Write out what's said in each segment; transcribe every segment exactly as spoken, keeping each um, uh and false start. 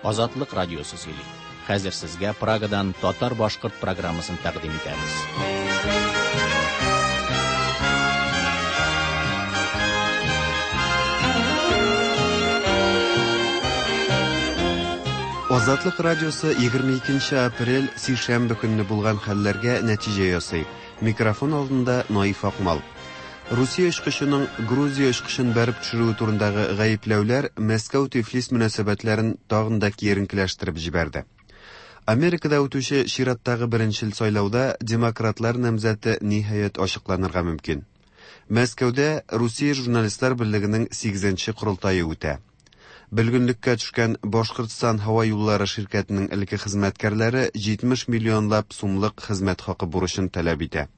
Азатлык радиосы сөйли. Хәзер сезгә Прагадан татар-башкорт программасын тәкъдим итәбез. Азатлык радиосы егерме икенче апрель сишәмбе көнне булган хәлләргә нәтиҗә ясый. Микрофон алдында Наиф Акмал. Русия очкычының Грузия очкычын бәреп төшерүе турындагы гаепләүләр Мәскәү-Тифлис мөнәсәбәтләрен тагын да киеренкеләштереп җибәрде. Америкада үтүче чираттагы беренчел сайлауда демократлар намзәте ниһаять ачыкланырга мөмкин. Мәскәүдә Русия журналистлар берлегенең сигезенче корылтае үтә. Бөлгенлеккә төшкән Башкортстан һава юллары ширкәтенең элекке хезмәткәрләре җитмеш миллионлап сумлык хезмәт хакы бурычын таләп итә.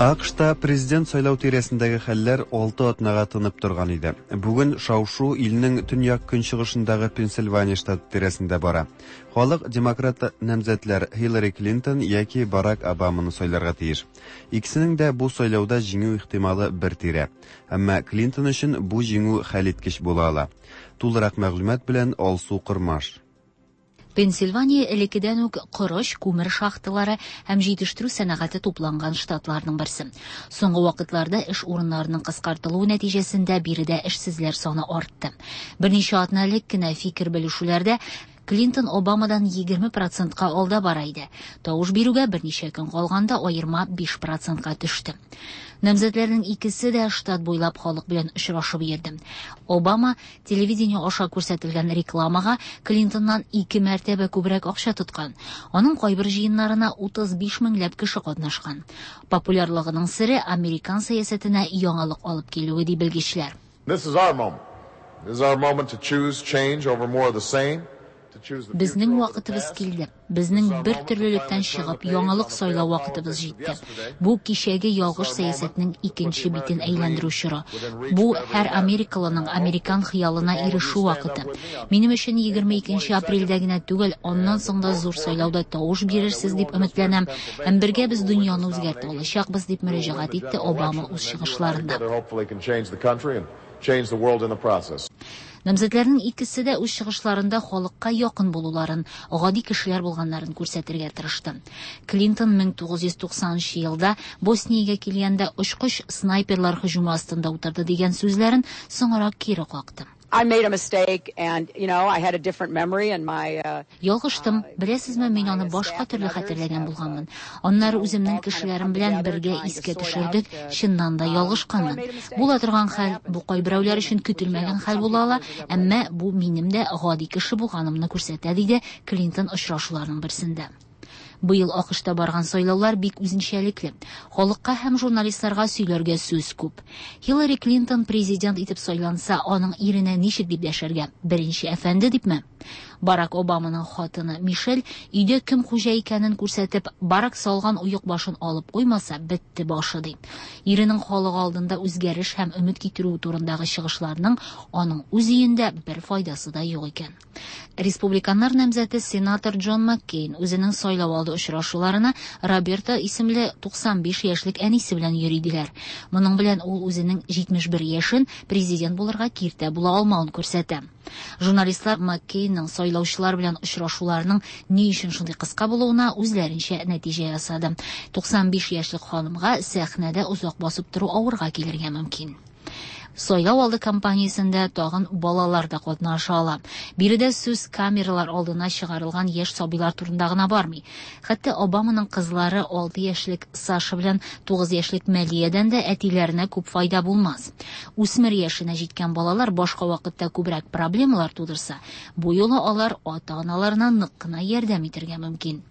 АКШта президент сайлау тирәсендәге хәлләр алты атнага тынып торган иде. Бүген шау-шу илнең төньяк көнчыгышындагы Пенсильвания штаты тирәсендә бара. Халык демократ намзәтләр Хиллари Клинтон яки Барак Обаманы сайларга тиеш. Икесенең дә бу сайлауда җиңү ихтималы бер тирә. Әмма Клинтон өчен бу җиңү хәлиткеч була ала. Тулырак мәгълүмат белән Алсу Кырмаш. Пенсильвания элеккедән үк корыч, күмер шахталары һәм җитештерү сәнәгате тупланган штатларның берсе. Соңгы вакытларда эш урыннарының кыскартылуы нәтиҗәсендә биредә эшсезләр саны артты. Берничә атна элек кенә фикер белешүләрдә Клинтон Обамадан егерме процентка алда бара иде. Тавыш бирүгә берничә көн калганда аерма биш процентка төште. Намзәтләрнең икесе дә штат буйлап халык белән очрашып йөрде. Обама телевидение аша күрсәтелгән рекламага Клинтоннан ике мәртәбә күбрәк акча тоткан. Аның кайбер җыеннарына утыз биш меңләп кеше катнашкан. Популярлыгының сере американ сәясәтенә яңалык алып килүе ди белгечләр. This is our moment. This is our moment to choose change over more of the same. Безнең вакытыбыз килде. Безнең бер төрлелектән чыгып, яңалык сайлау вакытыбыз җитте. Бу кичәге ялгыш сәясәтнең икенче битен әйләндерү чоры. Бу һәр америкалының американ хыялына ирешү вакыты. Минем өчен егерме икенче апрельдә генә түгел, аннан соң да зур сайлауда тавыш бирерсез дип өметләнәм. Һәм бергә без дөньяны үзгәртә алачакбыз дип мөрәҗәгать итте Обама үз чыгышларында. Change the world in the process. Намзәтләрнең икесе дә үз чыгышларында халыкка якын булуларын, гади кешеләр булганнарын күрсәтергә тырышты. Клинтон мең тугыз йөз туксанынчы елда Босниягә килгәндә очкыч снайперлар һөҗүме астында утырды дигән сүзләрен соңрак кире какты. I made a mistake and, you know, I had a different memory and my, uh, Ялгыштым. Беләсезме, мин аны башка төрле хәтерләгән булганмын. Аннары үземнең кешеләрем белән бергә искә төшердек, чыннан да ялгышканмын. Була торган хәл, бу кайберәүләр өчен көтелмәгән хәл була ала, әмма бу минем дә гади кеше булганымны күрсәтә, диде Клинтон очрашуларның берсендә. Быел АКШта барган сайлаулар бик үзенчәлекле. Халыкка һәм журналистларга сөйләргә сүз күп. Хиллари Клинтон президент итеп сайланса, аның иренә ничек дип дәшәргә? Беренче әфәнде дипме? Барак Обаманың хатыны Мишель өйдә кем хуҗа икәнен күрсәтеп, Барак салган оек башын алып куймаса, бетте башы ди. Иренең халык алдында үзгәреш һәм өмет китерү турындагы чыгышларның аның үз өендә бер файдасы да юк икән. Республиканнар намзәте сенатор Джон Маккейн үзенең сайлау алды очрашуларына Роберта исемле туксан биш яшьлек әнисе белән йөри диләр. Моның белән ул үзенең җитмеш бер яшен президент булырга киртә була алмавын күрсәтә. Журналистлар Маккейнның сайлаучылар белән очрашуларының ни өчен шундый кыска булуына үзләренчә нәтиҗә ясады. Туксан биш яшьлек ханымга сәхнәдә озак басып тору авырга килергә мөмкин. Сайлау алды кампаниясендә тагын балалар да катнаша ала. Биредә сүз камералар алдына чыгарылган яшь сабыйлар турында гына бармый. Хәтта Обаманың кызлары алты яшьлек Саша белән тугыз яшьлек Мәлиядән дә әтиләренә күп файда булмас. Үсмер яшенә җиткән балалар башка вакытта күбрәк проблемалар тудырса, бу юлы алар ата-аналарына нык кына ярдәм итәргә мөмкин.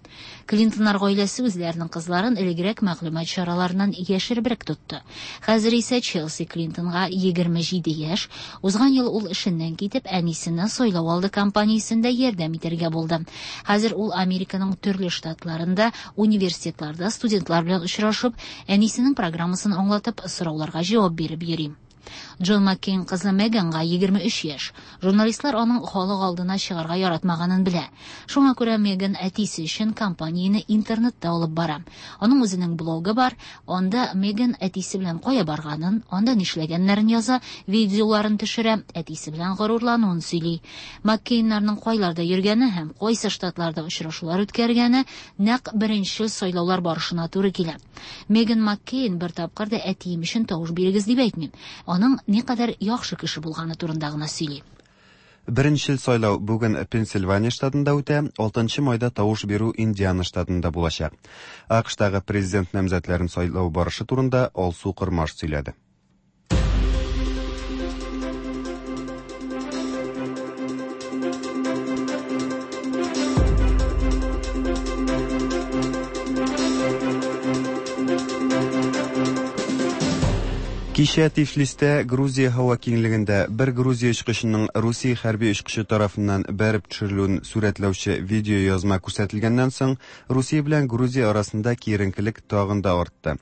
Клинтоннар гаиләсе үзләренең кызларын элегрәк мәгълүмат чараларыннан яшеребрәк тотты. Хәзер исә Челси Клинтонга егерме җиде яшь, узган ел ул эшеннән китеп, әнисенә сайлау алды кампаниясендә ярдәм итәргә булды. Хәзер ул Американың төрле штатларында, университетларда студентлар белән очрашып, әнисенең программасын аңлатып, сорауларга җавап биреп йөри. Джон Маккейн кызы Меганга егерме өч яшь. Журналистлар аның халык алдына чыгарга яратмаганын белә. Шуңа күрә Меган әтисе өчен кампанияне интернетта алып бара. Аның үзенең блогы бар. Анда Меган әтисе белән кая барганын, анда нишләгәннәрен яза, видеоларын төшерә, әтисе белән горурлануын сөйли. Маккейннарның кайларда йөргәне һәм кайсы штатларда очрашулар үткәргәне нәкъ беренче сайлаулар барышына туры килә. Меган Маккейн бер тапкыр да әтием өчен тавыш бирегез дип әйтмим. Аның никадәр яхшы кеше булганы турында гына сөйли. Беренчел сайлау бүген Пенсильвания штатында үтә, алтынчы майда тавыш бирү Индиана штатында булачак. АКШтагы президент намзәтләрен сайлау барышы турында Алсу Кормаш сөйләде. Кичә Тифлистә Грузия һава киңлегендә бер Грузия очкычының Русия хәрби очкычы тарафыннан бәреп төшерелүен сурәтләүче видео язма күрсәтелгәннән соң, Русия белән Грузия арасында киеренкелек тагын да артты.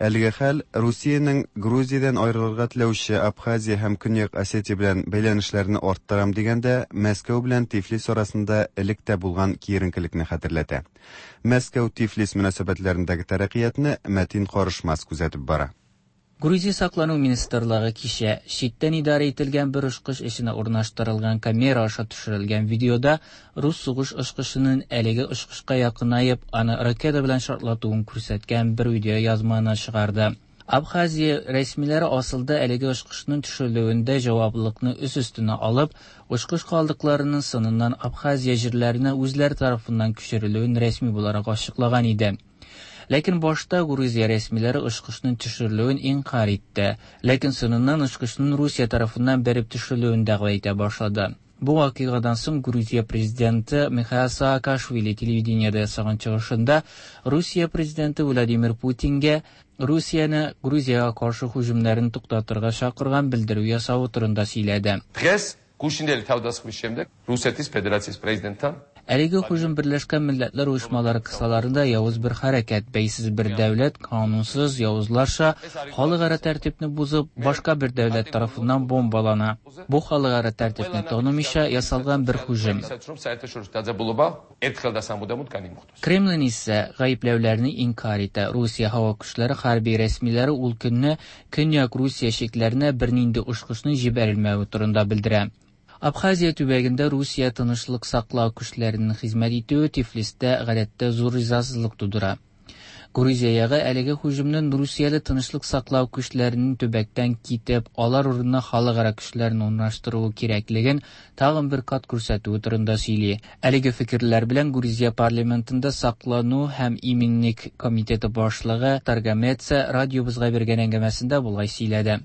Әлеге хәл Русиянең Грузиядән аерылырга теләүче Абхазия һәм Көньяк Осетия белән бәйләнешләрне арттырам дигәндә, Мәскәү белән Тифлис арасында элек тә булган киеренкелекне хәтерләтә. Мәскәү-Тифлис мөнәсәбәтләрендәге тәрәккыятны Мәтин Карышмас күзәтеп бара. Грузия саклану министрлыгы кичә читтән идарә ителгән бер очкыч эченә урнаштырылган камера аша төшерелгән видеода рус сугыш очкычының әлеге очкычка якынаеп, аны ракета белән шартлатуын күрсәткән бер видео язманы чыгарды. Абхазия рәсмиләре асылда әлеге очкычның төшерелүендә җаваплылыкны үз өстенә алып, очкыч калдыкларының сыныннан Абхазия җирләренә үзләре тарафыннан күчерелүен рәсми буларак ачыклаган иде. Ләкин башта Грузия рәсмиләре очкычның төшерелүен инкар итте. Ләкин соңыннан очкычның Русия тарафыннан бәреп төшерелүен дәгъва итә башлады. Бу вакыйгадан соң Грузия президенты Михаил Саакашвили телевидениедә ясаган чыгышында Русия президенты Владимир Путингә Русияне Грузиягә каршы һөҗүмнәрен туктатырга чакырган белдерү ясавы турында сөйләде. Დღეს გუშინდელი თავდასხმის შემდეგ რუსეთის ფედერაციის პრეზიდენტთან Әлеге һөҗүм Берләшкән Милләтләр Оешмалары кысаларында явыз бер хәрәкәт, бәйсез бер дәүләт канунсыз явызларча халыкара тәртипне бозып, башка бер дәүләт тарафыннан бомбалана. Бу халыкара тәртипне танымыйча ясалган бер һөҗүм. Кремлин исә гаепләүләрне инкар итә. Русия һава көчләре хәрби рәсмиләре ул көнне Көньяк Русия чикләренә бернинди очкычның җибәрелмәве турында белдерә. Абхазия төбәгендә Русия тынычлык саклау көчләренең хезмәт итүе Тифлистә гадәттә зур ризасызлык тудыра. Грузиягә әлеге һөҗүмнең Русияле тынычлык саклау көчләренең төбәктән китеп, алар урынына халыкара көчләрен урнаштыруы кирәклеген тагын бер кат күрсәтүе турында сөйли. Әлеге фикерләр белән Грузия парламентында саклану һәм иминлек комитеты башлыгы Таргамеца радиобызга биргән әңгәмәсендә болай сөйләде.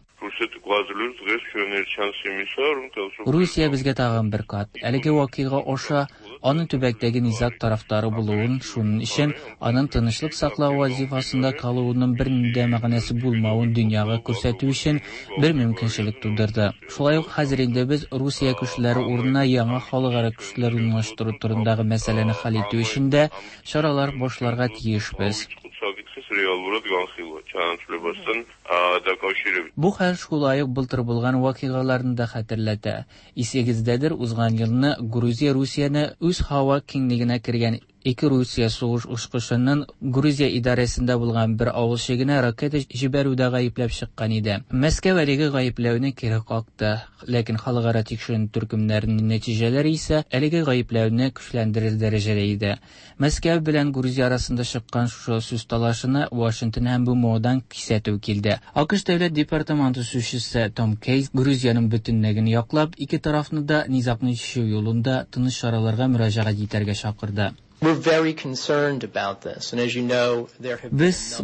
Русия безгә тагын бер кат әлеге вакыйга аша аның төбәктәге низаг тарафдары булуын, шуның өчен аның тынычлык саклау вазифасында калуының бернинди мәгънәсе булмавын дөньяга күрсәтү өчен бер мөмкинчелек тудырды. Шулай ук хәзер инде без Русия көчләре урынына яңа халыкара көчләр урнаштыру турындагы мәсьәләне хәл итү өчен дә чаралар башларга тиешбез. Бу хәл шулай ук былтыр булган вакыйгаларны да хәтерләтә. Исегездәдер, узган елны Грузия Русияне үз һава киңлегенә кергән ике Русия сугыш очкычының Грузия идарәсендә булган бер авыл чигенә ракета җибәрүдә гаепләп чыккан иде. Мәскәү әлеге гаепләүне кире какты, ләкин халыкара тикшеренү төркемнәренең нәтиҗәләре исә әлеге гаепләүне көчләндерер дәрәҗәдә иде. Мәскәү белән Грузия арасында чыккан шушы сүз талашына Вашингтон һәм БМОдан кисәтү килде. АКШ Дәүләт департаменты сүзчесе Том Кейс Грузиянең бөтенлеген яклап, ике тарафны да низагны чишү юлында тыныч чараларга мөрәҗәгать итәргә чакырды. Без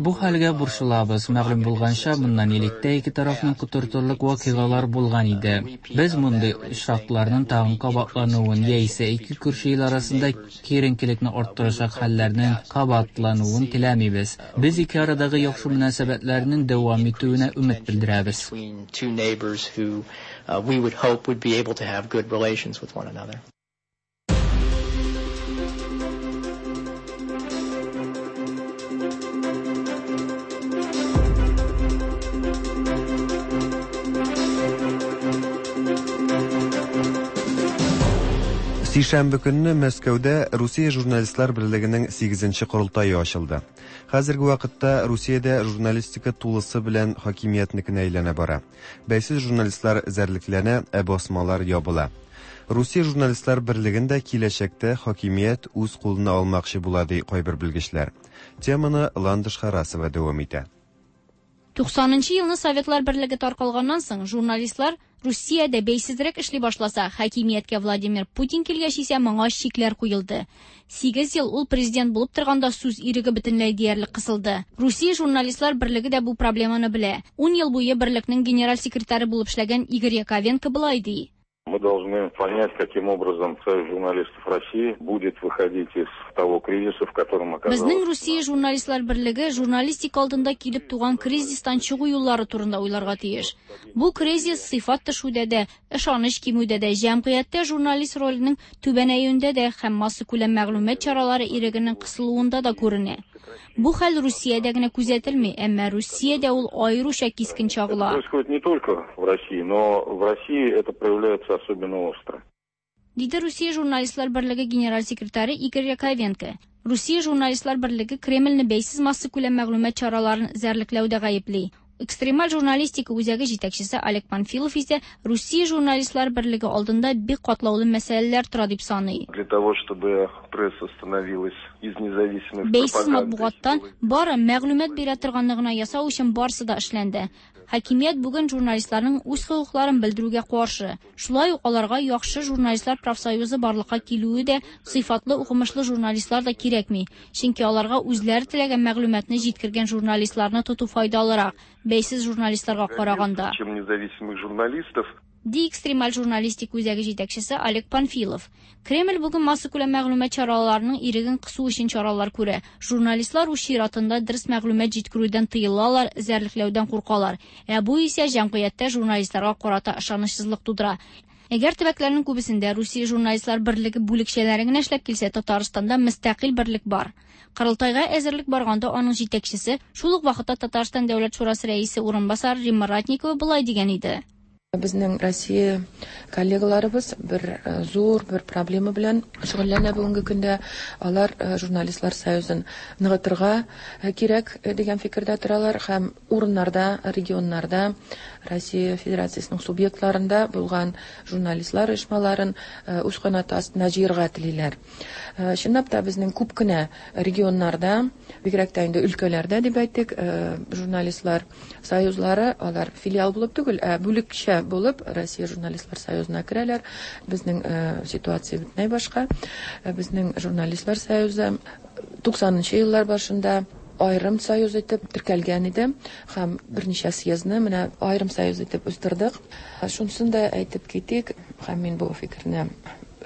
бу хәлгә борчылабыз. Мәгълүм булганча, моннан элек ике тарафның котыртырлык вакыйгалар булган иде. Без мондый очракларның тагын кабатлануын яисә ике күрше ил арасында киеренкелекне арттырачак хәлләрнең кабатлануын теләмибез. Без ике арадагы яхшы мөнәсәбәтләрнең дәвам итүенә өмет белдерәбез. Сишәмбе көнне Мәскәүдә Русия журналистлар берлегенең сигезенче корылтае ачылды. Хәзерге вакытта Русиядә журналистика тулысы белән хакимиятнекенә әйләнә бара. Бәйсез журналистлар эзәрлекләнә, ә басмалар ябыла. Русия журналистлар берлеген дә киләчәктә хакимият үз кулына алмакчы була, ди кайбер белгечләр. Теманы Ландыш Харасова дәвам итә. Туксанынчы елны Советлар берлеге таркалганнан соң журналистлар Русиядә бәйсезрәк эшли башласа, хакимияткә Владимир Путин килгәч исә моңа чикләр куелды. Сигез ел ул президент булып торганда сүз иреге бөтенләй диярлек кысылды. Русия журналистлар берлеге дә бу проблеманы белә. Ун ел буе берлекнең генераль секретаре булып эшләгән Игорь Яковенко былай ди. Мы должны понять, каким образом Союз журналистов России будет выходить из того кризиса, в котором оказалась. Безнең Русия журналистлар берлеге журналистика алдында килеп туган кризистан чыгу юллары турында уйларга тиеш. Бу кризис сыйфат төшүдә дә, ышаныч кимүдә дә, җәмгыятьтә журналист роленең түбәнәюендә дә һәм массакүләм мәгълүмат чаралары ирегенең кысылуында да күренә. Бу хәл Русиядә генә күзәтелми, әмма Русиядә ул аеруча кискен чагыла. Это происходит не только в России, но в России это проявляется особенно остро. Диде Русия журналистлар берлеге генераль секретаре Игорь Яковенко. Русия журналистлар берлеге Кремльне бәйсез массакүләм мәгълүмат чараларын эзәрлекләүдә гаепли. Экстремаль журналистика үзәге җитәкчесе Олег Панфилов исә Русия журналистлар берлеге алдында бик катлаулы мәсьәләләр тора дип саный. Для того, чтобы пресса становилась из независимой Бәйсез матбугаттан бары мәгълүмат бирә торганны гына ясау өчен барысы да эшләнде. Хакимият бүген журналистларның үз хокукларын белдерүгә каршы. Шулай ук аларга яхшы журналистлар профсоюзы барлыкка килүе дә, сыйфатлы укымышлы журналистлар да кирәкми. Чөнки аларга үзләре теләгән мәгълүматны җиткергән журналистларны тоту файдалырак, бәйсез журналистларга караганда. Чем независимых журналистов. Ди экстремаль журналистика үзәге җитәкчесе Олег Панфилов. Кремль бүген массакүләм мәгълүмат чараларының иреген кысу өчен чаралар күрә. Журналистлар үз чиратында дөрес мәгълүмат җиткерүдән тыелалар, эзәрлекләүдән куркалар. Ә бу исә җәмгыятьтә журналистларга карата ышанычсызлык тудыра. Әгәр төбәкләрнең күбесендә Русия журналистлар берлеге бүлекчәләре генә эшләп килсә, Татарстанда мөстәкыйль берлек бар. Корылтайга әзерлек барганда аның җитәкчесе, шул ук вакытта Татарстан Дәүләт шурасы рәисе урынбасары Римма Ратникова болай дигән иде. Безнең Россия коллегаларыбыз бер зур бер проблема белән шөгыльләнә бүгенге көндә. Алар журналистлар союзын ныгытырга кирәк дигән фикердә торалар һәм урыннарда, регионнарда Россия Федерациясенең субъектларында булган журналистлар оешмаларын үз канаты астына җыярга телиләр. Чынлап та безнең күп кенә регионнарда, бигрәк тә инде өлкәләрдә дип әйтик, журналистлар союзлары алар филиал булып түгел, ә бүлекчә булып Россия журналистлар союзына керәләр. Безнең ситуация бөтенләй башка. Безнең журналистлар союзы туксанынчы еллар башында аерым союз итеп теркәлгән иде һәм берничә съездны менә аерым союз итеп үстердек. Шунысын да әйтеп китик, һәм мин бу фикерне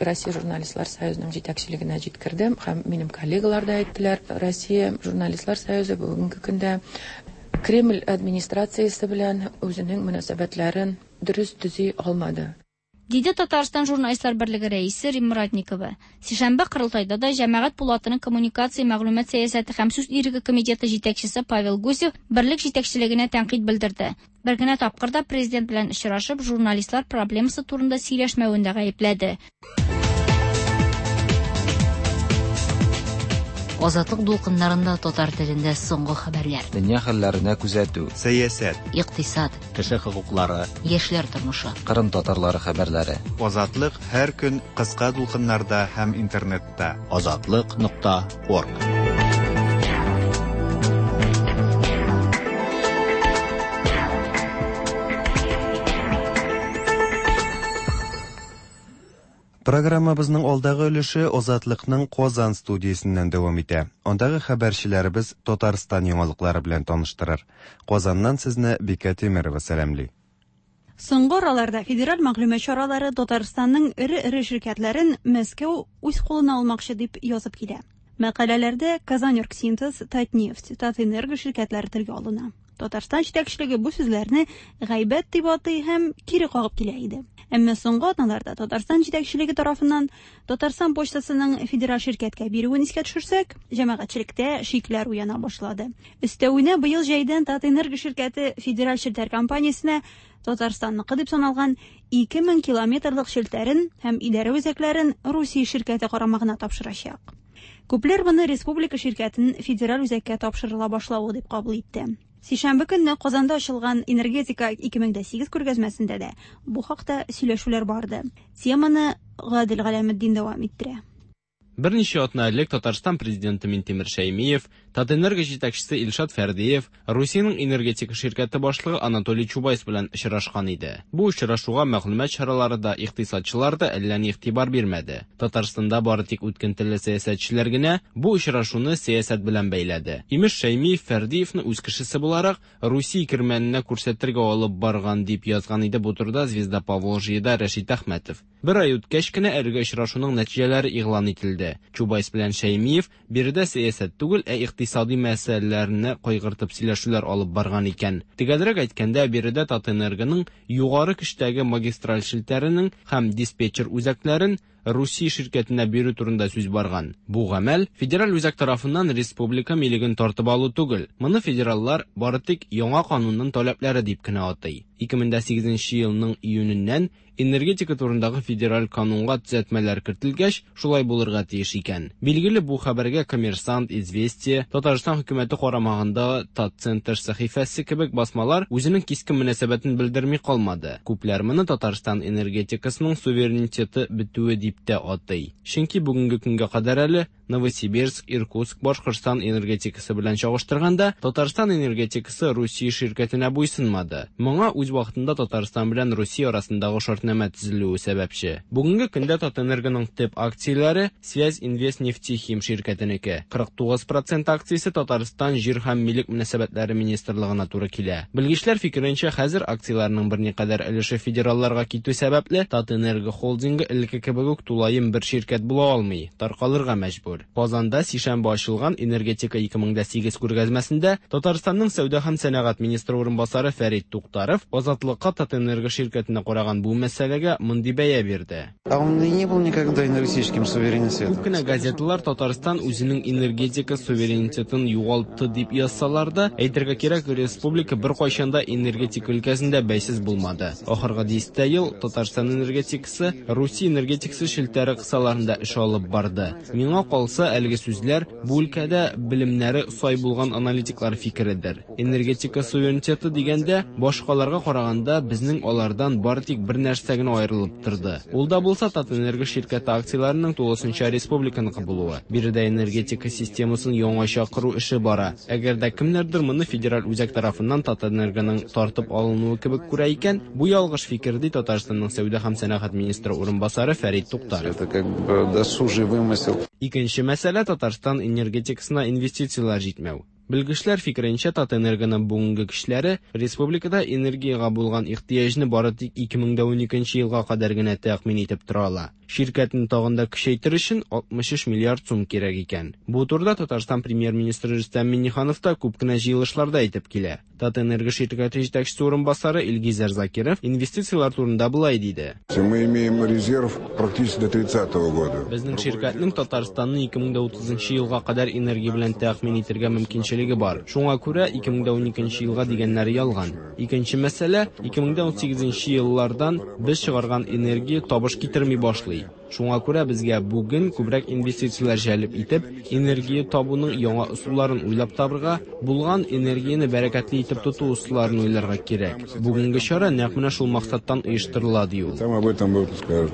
Россия журналистлар союзының җитәкчелегенә җиткердем һәм минем коллегалар да әйттеләр. Россия журналистлар союзы бүгенге көндә Кремль администрациясе белән үзенең мөнәсәбәтләрен дөрес төзи алмады. Диде Татарстан журналистлар берлеге рәисе Римма Ратникова. Сишәмбе корылтайда да Җәмәгать пулатының коммуникация, мәгълүмат сәясәте һәм сүз иреге комитеты җитәкчесе Павел Гусев берлек җитәкчелегенә тәнкыйть белдерде. Бер генә тапкыр да президент белән очрашып, журналистлар проблемасы турында сөйләшмәвен дә гаепләде. Азатлык дулкыннарында татар телендә соңгы хәбәрләр. Дөнья хәлләренә күзәтү, сәясәт, икътисад, кеше хокуклары, яшьләр тормышы, Кырым татарлары хәбәрләре. Азатлык һәр көн кыска дулкыннарда һәм интернетта. Азатлык нокта орг. Программабызның алдагы өлеше Азатлыкның Казан студиясеннән дәвам итә. Андагы хәбәрчеләребез Татарстан яңалыклары белән таныштырыр. Казаннан сезне Бикә Тимирова сәламли. Соңгы араларда федераль мәгълүмат чаралары Татарстанның эре-эре ширкәтләрен Мәскәү үз кулына алмакчы дип язып килә. Мәкаләләрдә Казаньоргсинтез, Татнефть, Татэнерго ширкәтләре телгә алына. Татарстан җитәкчелеге бу сүзләрне гайбәт дип атый һәм кире кагып килә иде. Әмма соңгы атналарда Татарстан җитәкчелеге тарафыннан Татарстан почтасының федераль ширкәткә бирүен искә төшерсәк, җәмәгатьчелектә шикләр уяна башлады. Өстәвенә быел җәйдән Татэнерго ширкәте федераль челтәр компаниясенә Татарстанныкы дип саналган ике мең километрлык челтәрен һәм идарә үзәкләрен Русия ширкәте карамагына тапшырачак. Күпләр моны республика ширкәтен федераль үзәккә тапшырыла башлавы дип кабул итте. Сишәмбе көнне Казанда ачылган Энергетика ике мең сигез күргәзмәсендә дә бу хакта сөйләшүләр барды. Теманы Гадел Галәметдин дәвам иттерә. Берничә атна элек Татарстан президенты Минтимер Шәймиев, Татэнерго җитәкчесе Илшат Фәрдиев, Русиянең энергетика ширкәте башлыгы Анатолий Чубайс белән очрашкан иде. Бу очрашуга мәгълүмат чаралары да, икътисадчылар да әллә ни игътибар бирмәде. Татарстанда бары тик үткен телле сәясәтчеләр генә бу очрашуны сәясәт белән бәйләде. Имеш, Шәймиев Фәрдиевны үз кешесе буларак Русия кирмәненә күрсәтергә алып барган дип язган иде бу турыда Звезда Поволжьеда Рәшит Әхмәтов. Бер ай үткәч кенә әлеге очрашуның нәтиҗәләре игълан ителде. Чубайс белән Шәймиев биредә сәясәт түгел, ә икътисади мәсьәләләрне кайгыртып сөйләшүләр алып барган икән. Төгәлрәк әйткәндә, биредә Татэнергоның югары көчтәге магистраль челтәренең һәм диспетчер үзәкләрен Русия ширкәтенә бирү турында сүз барган. Бу гамәл федераль үзәк тарафыннан республика милеген тартып алу түгел. Моны федераллар бары тик яңа канунның таләпләре дип кенә атый. ике мең сигезенче елның июненнән энергетика турындагы федераль канунга төзәтмәләр кертелгәч, шулай булырга тиеш икән. Билгеле, бу хәбәргә Коммерсант, Известия, Татарстан хөкүмәте карамагында Татцентр сәхифәсе кебек басмалар үзенең кискен мөнәсәбәтен белдерми калмады. Күпләр моны Татарстан энергетикасының суверенитеты бетүе дип тә атый. Чөнки бүгенге көнгә кадәр әле Новосибирск, Иркутск, Башкортстан энергетикасы белән чагыштырганда, Татарстан энергетикасы Русия ширкәтенә буйсынмады. Моңа үз вакытында Татарстан белән Русия арасындагы шартнамә төзелүе сәбәпче. Бүгенге көндә Татэнергоның төп акцияләре Связь Инвест Нефтехим ширкәтенеке. кырык тугыз процент акциясе Татарстан җир һәм милек мөнәсәбәтләре министрлыгына туры килә. Белгечләр фикеренчә, хәзер акцияләрнең берникадәр өлеше федералларга китү сәбәпле, Татэнерго холдингы элекке кебек үк тулаем бер ширкәт була алмый, таркалырга мәҗбүр. Казанда сишәмбе ачылган Энергетика ике мең сигез күргәзмәсендә Татарстанның сәүдә һәм сәнәгать министры урынбасары Фәрит Туктаров Азатлыкка Татэнерго ширкәтенә караган бу мәсьәләгә мондый бәя бирде. А он и не был никогда энергетическим суверенитетом. Күп кенә газеталар Татарстан үзенең энергетика суверенитетын югалтты дип язсалар да, әйтергә кирәк, республика беркайчан да энергетика өлкәсендә бәйсез булмады. Ахыргы дистә ел Татарстан энергетикасы Русия энергетикасы челтәре кысаларында эш алып барды. Миңа калса, әлеге сүзләр бу өлкәдә белемнәре сай булган аналитиклар фикередер. Энергетика суверенитеты дигәндә, башкаларга караганда безнең алардан бары тик бер нәрсә генә аерылып торды. Ул да булса Татэнерго ширкәте акцияләренең тулысынча республиканыкы булуы. Биредә энергетика системасын яңача кору эше бара. Әгәр дә кемнәрдер моны федераль үзәк тарафыннан Татэнергоның тартып алынуы кебек күрә икән, бу ялгыш фикер, ди Татарстанның сәүдә һәм сәнәгать министры урынбасары Фәрит Туктаров. Это как бы досужий вымысел. Икенче мәсьәлә Татарстан энергетикасына инвестицияләр җитмәү. Белгечләр фикеренчә, Татэнергоның бүгенге көчләре республикада энергиягә булган ихтыяҗны бары тик ике мең уникенче елга кадәр генә тәэмин итеп тора ала. Ширкәтне тагын да көчәйтер өчен алтмыш өч миллиард сум кирәк икән. Бу турыда Татарстан премьер-министры Рөстәм Миңнеханов та күп кенә җыелышларда әйтеп килә. Татэнерго ширкәте җитәкчесе урынбасары Илгизәр Закиров инвестицияләр турында болай диде. Мы имеем резерв практически до тридцатого года. Безнең ширкәтнең Татарстанны ике мең утызынчы елга кадәр энергия белән тәэмин итәргә мөмкинчелеге бар. Шуңа күрә ике мең уникенче елга дигәннәре ялган. Икенче мәсьәлә, ике мең унсигезенче еллардан без чыгарган энергия табыш китерми башлый. Шуңа күрә безгә бүген күбрәк инвестицияләр җәлеп итеп, энергия табуның яңа ысулларын уйлап табырга, булган энергияне бәрәкәтле итеп тоту ысулларын уйларга кирәк. Бүгенге чара нәкъ менә шул максаттан оештырыла, ди ул. Там об этом скажут.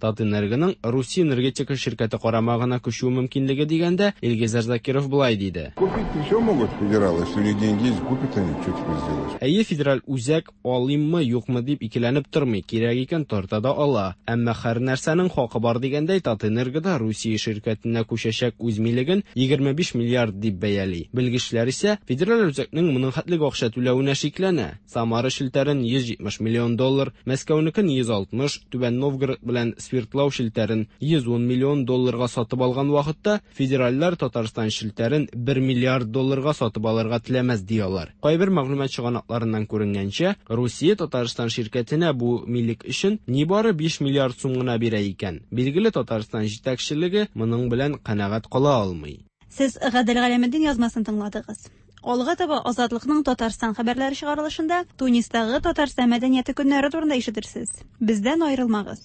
Татэнергоның Русия энергетика ширкәте карамагына күчү мөмкинлеге дигәндә, Илгизәр Закиров болай диде. Купить все могут федералы, если у них деньги есть, купят они, что теперь сделаешь? Әйе, федераль үзәк алыйммы, юкмы дип икеләнеп тормый, кирәк икән тарта да ала. Әмма һәр нәрсәнең хакы бар дигәндәй, Татэнерго да Русия ширкәтенә күчәчәк үз милеген егерме биш миллиард дип бәяли. Белгечләр исә федераль үзәкнең моның хәтлек акча түләвенә шикләнә. Самара челтәрен йөз җитмеш миллион доллар, Мәскәүнекен йөз алтмыш, Түбән Новгород белән спиртлау челтәрен йөз ун миллион долларга сатып алган вакытта, федеральләр Татарстан челтәрен бер миллиард долларга сатып алырга теләмәс ди алар. Кайбер мәгълүмат чыганакларыннан күренгәнчә, Русия Татарстан ширкәтенә бу милек өчен нибары биш миллиард сум гына бирә икән. Билгеле, Татарстан җитәкчелеге моның белән канәгать кала алмый. Сез Гадел Галәметдин язмасын тыңладыгыз. Алга таба Азатлыкның Татарстан хәбәрләре чыгарылышында Тунистагы Татарстан мәдәнияте көннәре турында ишетерсез. Бездән аерылмагыз.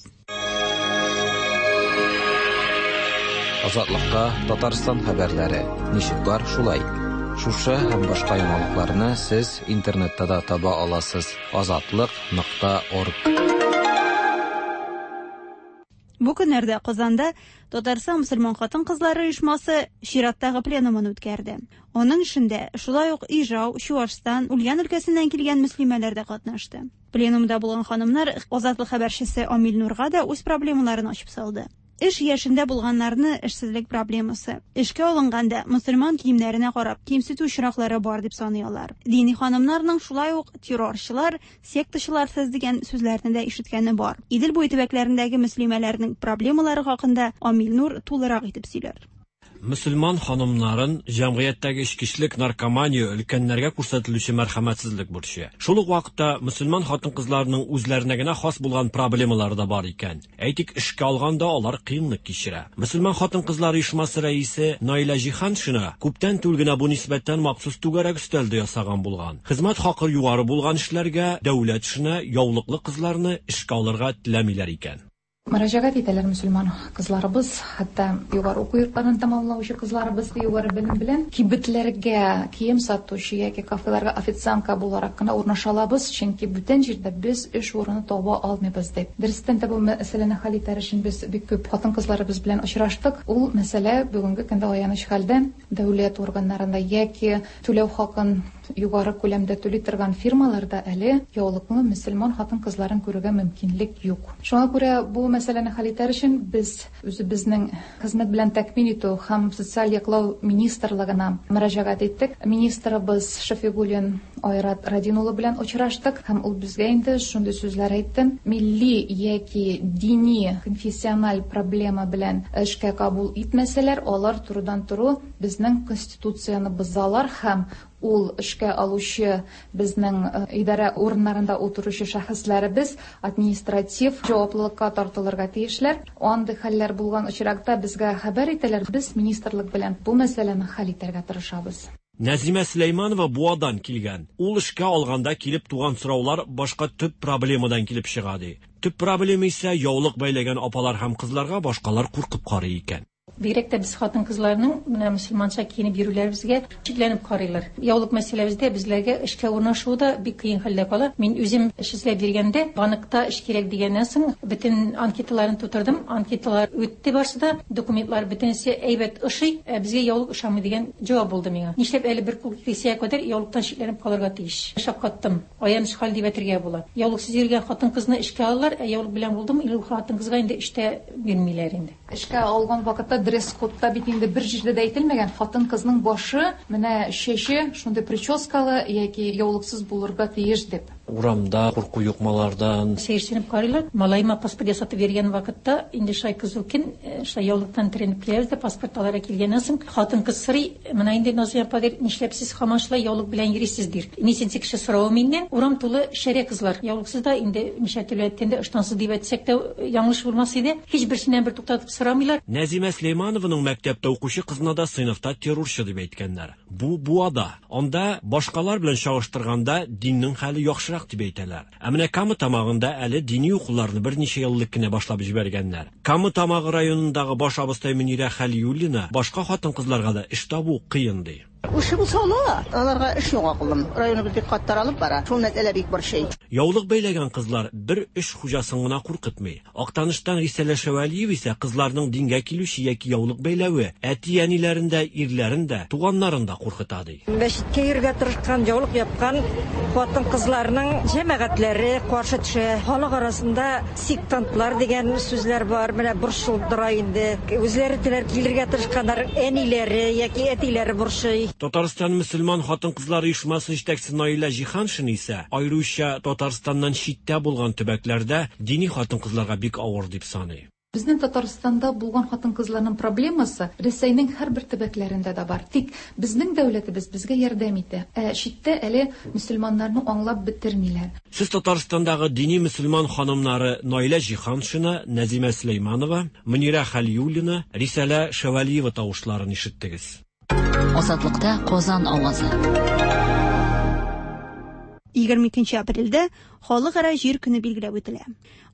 Азатлыкта Татарстан хәбәрләре ничек бар шулай. Шушы һәм башка яңалыкларны сез интернетта да таба аласыз. азатлык нокта орг. Бу көннәрдә Казанда Татарстан мөселман хатын-кызлары оешмасы чираттагы пленумын үткәрде. Аның эшендә шулай ук Ижау, Чуашстан, Ульян өлкәсеннән килгән мөслимәләр дә катнашты. Пленумда булган ханымнар Азатлык хәбәрчесе Амил Нурга да үз проблемаларын ачып салды. Эш яшендә булганнарны эшсезлек проблемасы, эшкә алынганда мөселман киемнәренә карап кимсетү очраклары бар дип саный алар. Дини ханымнарның шулай ук террорчылар, сектачылар сез дигән сүзләрне дә ишеткәне бар. Идел буе төбәкләрендәге мөслимәләрнең проблемалары хакында Амил Нур тулырак итеп сөйләр. Мөселман ханымнарын җәмгыятьтәге эчкечелек, наркомания, өлкәннәргә күрсәтелүче мәрхәмәтсезлек борчый. Шул ук вакытта мөселман хатын-кызларының үзләренә генә хас булган проблемалары да бар икән. Әйтик, эшкә алганда алар кыенлык кичерә. Мөселман хатын-кызлары оешмасы рәисе Наилә Җиһаншина күптән түгел генә бу нисбәттән махсус түгәрәк өстәл дә ясаган булган. Хезмәт хакы югары булган эшләргә, дәүләт эшенә яулыклы кызларны эшкә алырга теләмиләр икән. Мөрәҗәгать итәләр мөселман кызларыбыз, хәтта югары уку йортларын тәмамлаучы кызларыбыз югары белем белән кибетләргә кием сатучы яки кафеларга официантка буларак кына урнаша алабыз, чөнки бүтән җирдә без эш урыны таба алмыйбыз дип. Дөрестән дә бу мәсьәләне хәл итәр өчен без бик күп хатын-кызларыбыз белән очраштык. Ул мәсьәлә бүгенге көндә аяныч хәлдә дәүләт органнарында яки түләү хакын югары күләмдә түли торган фирмаларда әле яулыклы мөселман хатын-кызларын күрергә мөмкинлек юк. Шуңа күрә бу мәсьәләне хәл итәр өчен без үзебезнең хезмәт белән тәэмин итү һәм социаль яклау министрлыгына мөрәҗәгать иттек. Министрыбыз Шафигуллин Айрат Радин улы белән очраштык һәм ул безгә инде шундый сүзләр әйтте: милли яки дини конфессиональ проблема белән эшкә кабул итмәсәләр, алар турыдан-туры безнең конституцияне бозалар һәм ул эшкә алучы безнең идарә урыннарында утыручы шәхесләребез административ җаваплылыкка тартылырга тиешләр. Андый хәлләр булган очракта безгә хәбәр итәләр. Без министрлык белән бу мәсьәләне хәл итәргә тырышабыз. Нәзимә Сөләйманова Буадан килгән. Ул эшкә алганда килеп туган сораулар башка төп проблемадан килеп чыга ди. Төп проблема исә яулык бәйләгән апалар һәм кызларга башкалар куркып карый икән. Бигрәк тә без хатын-кызларның менә мөселманча киенеп йөрүләребезгә шикләнеп карыйлар. Яулык мәсьәләбездә безләргә эшкә урнашу да бик кыен хәлдә кала. Мин үзем эш эзләп йөргәндә, банкта эш кирәк дигәннән соң бөтен анкеталарын тутырдым. Анкеталар үтте барсы да, документлар бөтенесе әйбәт ошый, ә безгә яулык ошамый дигән җавап булды миңа. Нишләп әле бер кул кисәгә кадәр яулыктан шикләнеп калырга тиеш? Шаккаттым. Аяныч хәл дип әйтергә була. Яулыксыз йөргән хатын-кызны эшкә алалар, ә яулык белән булдым, ул хатын-кызга инде эштә бирмиләр инде. Эшкә алган вакытта дресс-кодта бит инде бер җирдә дә әйтелмәгән, хатын-кызның башы, менә чәче шундый прическалы яки яулыксыз булырга тиеш дип. Урамда курку юкмалардан сәерсенеп карыйлар. Малайыма паспорт ясатып биргән вакытта инде шай кызу көн, шай яулыктан тренеп киләбез дә паспорт алырга килгәннән соң хатын-кыз сорый: "Менә инде Назия апа, дир, нишләп сез һаман шулай яулык белән йөрисез?" дир. Ничәнче кеше соравы миннән. Урам тулы шәрә кызлар. Яулыксыз да инде ничә төрле әйткәндә ыштансыз дип әйтсәк тә яңлыш булмас иде. Һич берсеннән бер туктатып сорамыйлар. Нәзимә Сөләйманованың мәктәптә укучы кызына да сыйныфта террорчы дип әйткәннәр. Бу Буада. Анда башкалар белән чагыштырганда диннең хәле яхшырак дип әйтәләр. Ә менә Кама Тамагында әле дини укуларны берничә ел элек кенә башлап җибәргәннәр. Кама Тамагы районындагы баш абыстай Мөнирә Хәлиуллина башка хатын-кызларга да эш табу кыен ди. Эше булса ала, аларга эш юк акылым. Районыбыз бик каты алып бара. Шул мәсьәлә бик борчый. Яулык бәйләгән кызлар бер эш хуҗасын гына куркытмый. Актаныштан Рисәлә Шәвәлиева исә кызларның дингә килүче яки яулык бәйләве әти-әниләрен дә, ирләрен дә, туганнарын да куркыта ди. Мәчеткә йөрергә тырышкан, яулык япкан хатын-кызларның җәмәгатьләре каршы төшә. Халык арасында сектантлар дигән сүзләр бар. Менә борчылдыра инде. Үзләре теләр килергә тырышканнар, әниләре яки әтиләре борчый. Татарстан мөселман хатын-кызлары оешмасы җитәкчесе Наилә Җиһаншина исә аеруча Татарстаннан читтә булган төбәкләрдә дини хатын-кызларга бик авыр дип саный. Безнең Татарстанда булган хатын-кызларның проблемасы Рәсәйнең һәрбер төбәкләрендә дә бар. Тик безнең дәүләтебез безгә ярдәм итә. Ә читтә әле мөселманнарны аңлап бетермиләр. Сез Татарстандагы дини мөселман ханымнары Наилә Җиһаншина, Нәзимә Сөләйманова, Мөнирә Хәлиуллина, Рисәлә Шәвәлиева тавышларын ишеттегез. Азатлыкта Казан авазы. егерме икенче апрельдә Халыкара җир көне билгеләп үтелә.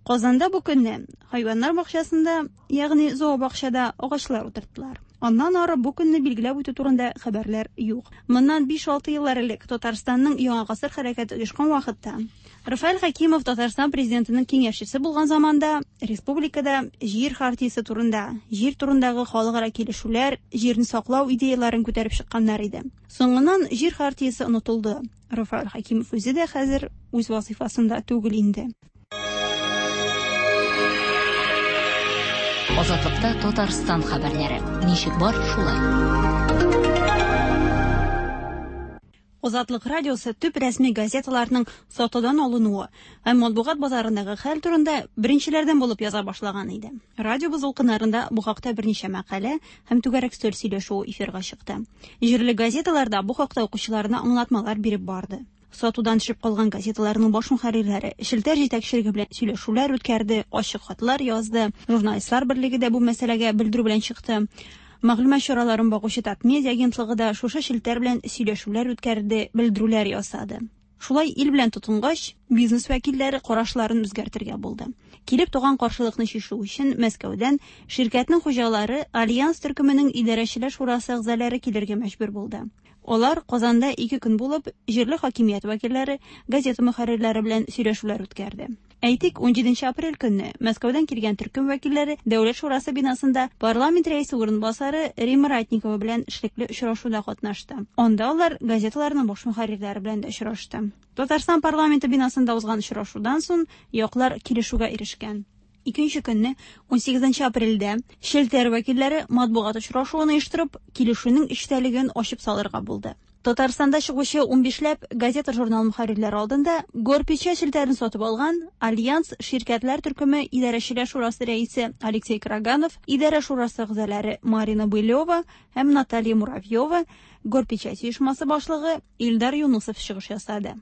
Казанда бу көнне хайваннар бакчасында, ягъни зообакчада агачлар утырттылар. Аннан ары бу көнне билгеләп үтү турында хәбәрләр юк. Моннан биш-алты еллар элек Татарстанның Яңа гасыр хәрәкәте оешкан вакытта Рафаэль Хәкимов Татарстан президентының киңәшчесе булган заманда республикада җир хартиясе турында, җир турындагы халыкара килешүләр, җирне саклау идеяларын күтәреп чыкканнар иде. Соңыннан җир хартиясе онытылды. Рафаэль Хәкимов үзе дә хәзер үз вазифасында түгел инде. Азатлыкта Татарстан хәбәрләре. Ничек бар, шулай. Азатлык радиосы төп рәсми газеталарның сатудан алынуы һәм матбугат базарындагы хәл турында беренчеләрдән булып яза башлаган иде. Радиобыз дулкыннарында бу хакта берничә мәкалә һәм түгәрәк өстәл сөйләшүе эфирга чыкты. Җирле газеталарда бу хакта укучыларына аңлатмалар биреп барды. Сатудан төшеп калган газеталарның баш мөхәррирләре челтәр җитәкчелеге белән сөйләшүләр үткәрде, ачык хатлар язды. Журналистлар берлеге дә бу мәсьәләгә белдерү белән чыкты. Мәгълүмат чараларын багучы Татмедиа агентлыгы да шушы челтәр белән сөйләшүләр үткәрде, белдерүләр ясады. Шулай ил белән тотынгач, бизнес вәкилләре карашларын үзгәртергә булды. Килеп туган каршылыкны чишү өчен Мәскәүдән ширкәтнең хуҗалары Альянс төркеменең идарәчеләр шурасы әгъзалары килергә мәҗбүр булды. Алар Казанда ике көн булып, җирле хакимият вәкилләре, газета мөхәррирләре белән сөйләшүләр үткәрде. Әйтик, унҗиденче апрель көнне Мәскәүдән килгән төркем вәкилләре Дәүләт шурасы бинасында парламент рәисе урынбасары Римма Ратникова белән эшлекле очрашуда катнашты. Анда алар газеталарның баш мөхәррирләре белән дә очрашты. Татарстан парламенты бинасында узган очрашудан соң яклар килешүгә ирешкән. Икенче көнне, унсигезенче апрельдә, челтәр вәкилләре матбугат очрашуын оештырып, килешүнең эчтәлеген ачып салырга булды. Татарстанда чыгучы унбишләп газета-журнал мөхәррирләре алдында Горпечать челтәрен сатып алган Альянс ширкәтләр төркеме идарәчеләр шурасы рәисе Алексей Караганов, идарә шурасы әгъзалары Марина Былева һәм Наталья Муравьева, Горпечать оешмасы башлыгы Илдар Юнусов чыгыш ясады.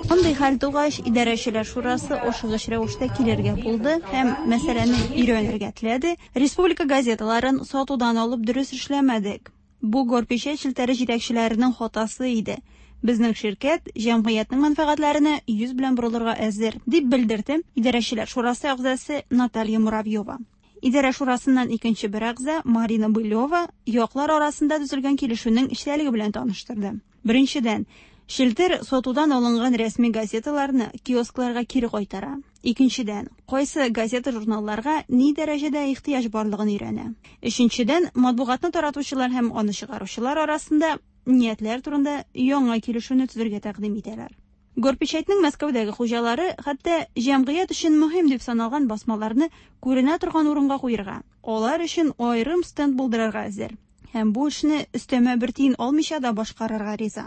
Мондый хәл тугач, идарәчеләр шурасы ашыгыч рәвештә килергә булды һәм мәсьәләне өйрәнергә теләде. Республика газеталарын сатудан алып дөрес эшләмәдек. Бу Горпечать челтәре җитәкчеләренең хатасы иде. Безнең ширкәт җәмгыятьнең мәнфәгатьләренә йөз белән борылырга әзер, дип белдерде идарәчеләр шурасы әгъзасы Наталья Муравьева. Идарә шурасыннан икенче бер әгъза Марина Былева яклар арасында төзелгән килешүнең эчтәлеге белән таныштырды. Беренчедән, челтәр сатудан алынган рәсми газеталарны киоскларга кире кайтара. Икенчедән, кайсы газета-журналларга ни дәрәҗәдә ихтыяҗ барлыгын өйрәнә. Өченчедән, матбугатны таратучылар һәм аны чыгаручылар арасында ниятләр турында яңа килешүне төзергә тәкъдим итәләр. Горпечатьнең Мәскәүдәге хуҗалары хәтта җәмгыять өчен мөһим дип саналган басмаларны күренә торган урынга куярга, алар өчен аерым стенд булдырырга әзер. Һәм бу эшне өстәмә бер тиен алмыйча да башкарырга риза.